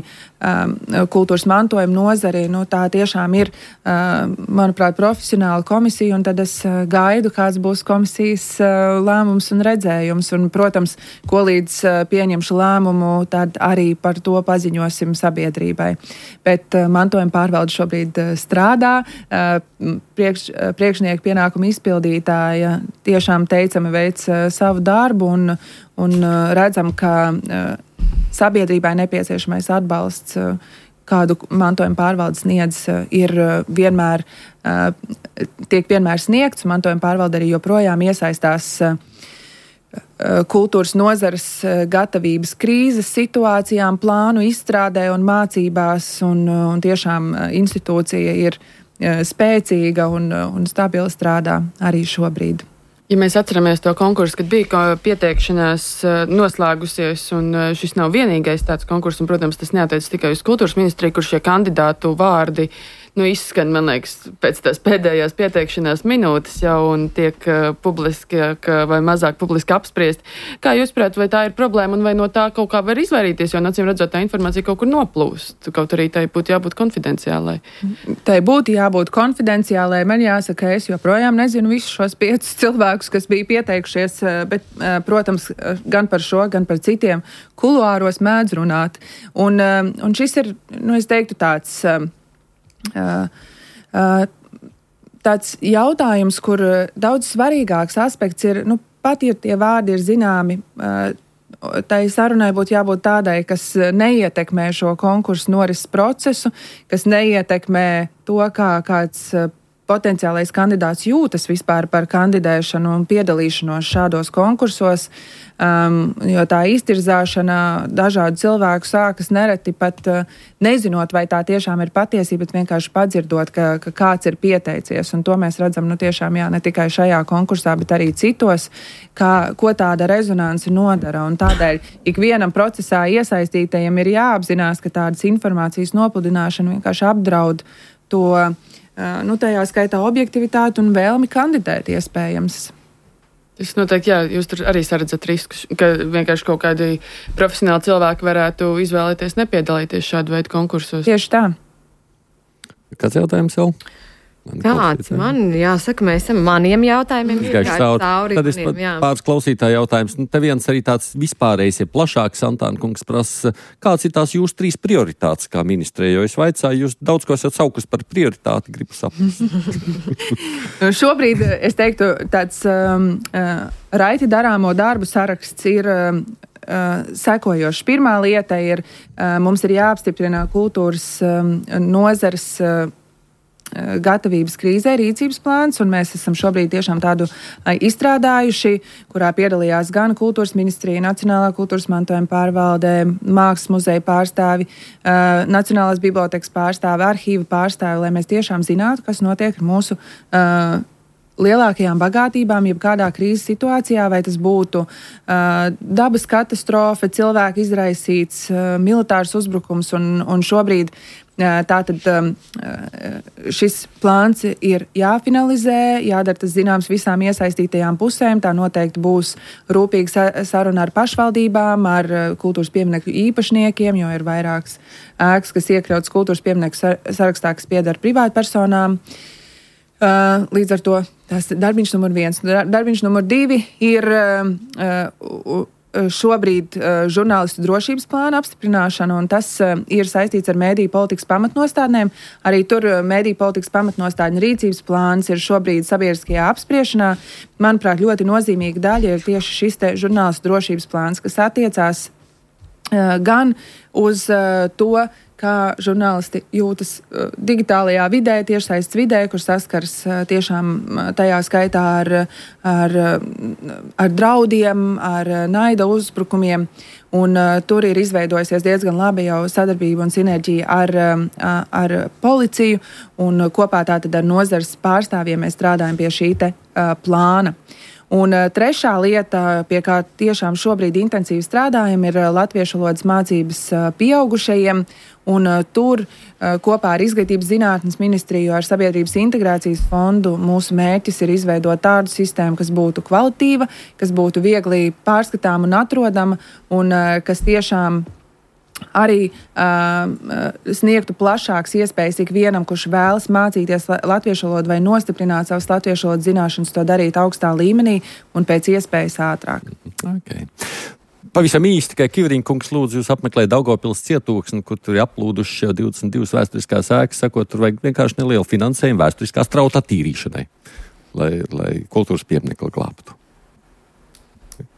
kultūras mantojuma nozari. Tā tiešām ir, manuprāt, profesionāla komisija, un tad es gaidu, kāds būs komisijas lēmums un redzējums. Un, protams, ko līdz pieņemšu lēmumu, tad arī par to paziņosim sabiedrībai. Bet mantojuma pārvalde šobrīd strādā. Priekšnieku pienākumu izpildītāja tiešām teicami veic savu darbu, un redzam, ka sabiedrībai nepieciešamais atbalsts, kādu mantojuma pārvalde sniedz, tiek vienmēr sniegts. Mantojuma pārvalde arī joprojām iesaistās kultūras nozares gatavības krīzes situācijām, plānu izstrādē un mācībās, un tiešām institūcija ir spēcīga un stabili strādā arī šobrīd. Ja mēs atceramies to konkursu, kad bija pieteikšanās noslēgusies, un šis nav vienīgais tāds konkurss, un, protams, tas neatiec tikai uz kultūras ministriju, kur šie kandidātu vārdi izskan, man liekas, pēc tās pēdējās pieteikšanās minūtes jau un tiek publiski vai mazāk publiski apspriest. Kā jūs prāt, vai tā ir problēma un vai no tā kaut kā var izvairīties, jo acīm redzot, tā informācija kaut kur noplūst, kaut arī tai būtu jābūt konfidenciālai? Tai būtu jābūt konfidenciālai. Man jāsaka, es joprojām nezinu visus šos 5 cilvēkus, kas bija pieteikušies, bet, protams, gan par šo, gan par citiem kuluāros mēdz runāt. Un šis ir, es teiktu, tāds jautājums, kur daudz svarīgāks aspekts ir, pat ja tie vārdi ir zināmi, tai sarunai būtu jābūt tādai, kas neietekmē šo konkursu norises procesu, kas neietekmē to, kā kāds potenciālais kandidāts jūtas vispār par kandidēšanu un piedalīšanos šādos konkursos, jo tā iztirzāšana dažādu cilvēku sākas nereti pat nezinot, vai tā tiešām ir patiesība, bet vienkārši padzirdot, ka kāds ir pieteicies. Un to mēs redzam tiešām ne tikai šajā konkursā, bet arī citos, ko tāda rezonanse nodara. Un tādēļ ikvienam procesā iesaistītajiem ir jāapzinās, ka tādas informācijas nopludināšana vienkārši apdraud to tajā skaitā objektivitāti un vēlmi kandidēt iespējams. Tas noteikti, jūs tur arī saredzat riskus, ka vienkārši kaut kādi profesionāli cilvēki varētu izvēlēties nepiedalīties šādu veidu konkursos. Tieši tā. Kāds jautājums vēl? Kāds man jāsaka, mēs esam maniem jautājumiem cauri. Tad es pāris klausītāju jautājums. Te viens arī tāds vispārējs, plašāks, Antāna kungs prasa, kāds ir tās jūsu 3 prioritātes kā ministrē, jo es vaicāju, jūs daudz ko esat saukus par prioritāti, gribu saprast. Šobrīd, es teiktu, tāds raiti darāmo darbu saraksts ir sekojošs. Pirmā lieta ir, mums ir jāapstiprina kultūras nozares gatavības krīzē rīcības plāns, un mēs esam šobrīd tiešām tādu izstrādājuši, kurā piedalījās gan Kultūras ministrija, Nacionālā kultūras mantojuma pārvaldē, Mākslas muzeja pārstāvi, Nacionālās bibliotekas pārstāvi, arhīva pārstāvi, lai mēs tiešām zinātu, kas notiek ar mūsu lielākajām bagātībām, jebkādā krīzes situācijā, vai tas būtu dabas katastrofa, cilvēku izraisīts militārs uzbrukums, un šobrīd tātad šis plāns ir jāfinalizē, jādara tas zināms visām iesaistītajām pusēm, tā noteikti būs rūpīga saruna ar pašvaldībām, ar kultūras pieminekļu īpašniekiem, jo ir vairākas ēkas, kas iekļautas kultūras pieminekļu sarakstā, kas pieder privātpersonām. Līdz ar to tas ir darbiņš numur 1. Darbiņš numur 2 ir šobrīd žurnālistu drošības plāna apstiprināšana, un tas ir saistīts ar mediju politikas pamatnostādnēm. Arī tur mediju politikas pamatnostādņu rīcības plāns ir šobrīd sabiedriskajā apspriešanā. Manuprāt, ļoti nozīmīga daļa ir tieši šis te žurnālistu drošības plāns, kas attiecās gan uz to, kā žurnālisti jūtas digitālajā vidē, tiešsaistes vidē, kur saskars tiešām tajā skaitā ar draudiem, ar naida uzbrukumiem. Un tur ir izveidojusies diezgan labi jau sadarbība un sinerģija ar policiju, un kopā tātad ar nozares pārstāvjiem mēs strādājam pie šī te plāna. Un trešā lieta, pie kā tiešām šobrīd intensīvi strādājam, ir latviešu valodas mācības pieaugušajiem. Un tur kopā ar Izglītības zinātnes ministriju, ar Sabiedrības integrācijas fondu mūsu mērķis ir izveidot tādu sistēmu, kas būtu kvalitīva, kas būtu viegli pārskatāma un atrodama, un kas tiešām arī sniegtu plašākas iespējas ikvienam, kurš vēlas mācīties latviešu valodu vai nostiprināt savas latviešu valodas zināšanas, to darīt augstā līmenī un pēc iespējas ātrāk. Okay. Pavisam īsti, tikai Kivriņa kungs lūdzu jūs apmeklēt Daugavpils cietoksni, kur tur ir aplūduši jau 22 vēsturiskās ēkas, sakot, tur vajag vienkārši nelielu finansējumu vēsturiskās trauta attīrīšanai, lai kultūras pieminekli glābtu.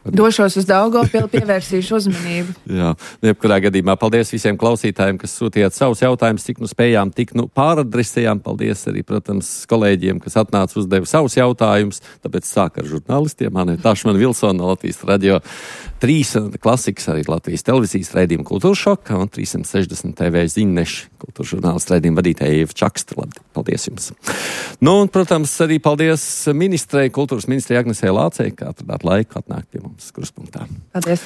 Došos uz Daugavpili, pievērsīšu uzmanību. Jā, jebkurā gadījumā paldies visiem klausītājiem, kas sūtījāt savus jautājumus, cik spējām, tik pāradresējām. Paldies arī, protams, kolēģiem, kas atnāca uzdeva savus jautājumus. Tāpēc sāk ar žurnālistiem. Aneta Tašmana Vilsona no Latvijas radio 3 klasikas, arī Latvijas televīzijas raidījuma Kultūras šoka un 360 TV ziņneši kultūras žurnālistu raidījuma vadītāja Ieva Čakstra. Paldies jums. Un, protams, arī paldies ministrei, kultūras ministrei Agnesei Lācei, kā atradāt laiku atnākt pie mums Kruspunktā. Paldies.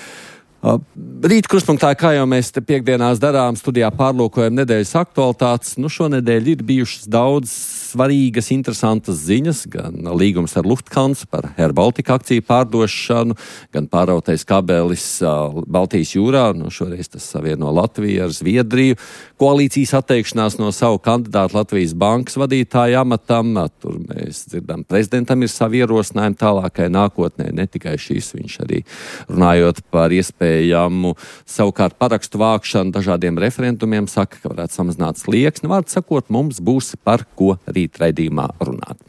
Rīt Kruspunktā, kā jau mēs te piekdienās darām, studijā pārlūkojam nedēļas aktualitātes. Šonedēļ ir bijušas daudz svarīgas, interesantas ziņas, gan līgums ar Lufthansa par Air Baltica akciju pārdošanu, gan pārautais kabelis Baltijas jūrā, šoreiz tas savieno Latviju ar Zviedriju, koalīcijas atteikšanās no savu kandidātu Latvijas bankas vadītāja amatam. Tur mēs dzirdam, prezidentam ir savi ierosinājumi tālākai nākotnē, ne tikai šīs, viņš arī runājot par iespējamu savukārt parakstu vākšanu dažādiem referendumiem, saka, ka varētu samazināt slieksni. Vārds sakot, mums būs par ko rīt raidījumā runāt.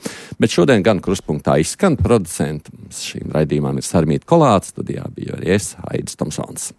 Bet šodien gan Kruspunktā izskan producenti. Šīm raidījumām ir Sarmīta Kolāts, studijā bija arī es, Aidis Tomsons.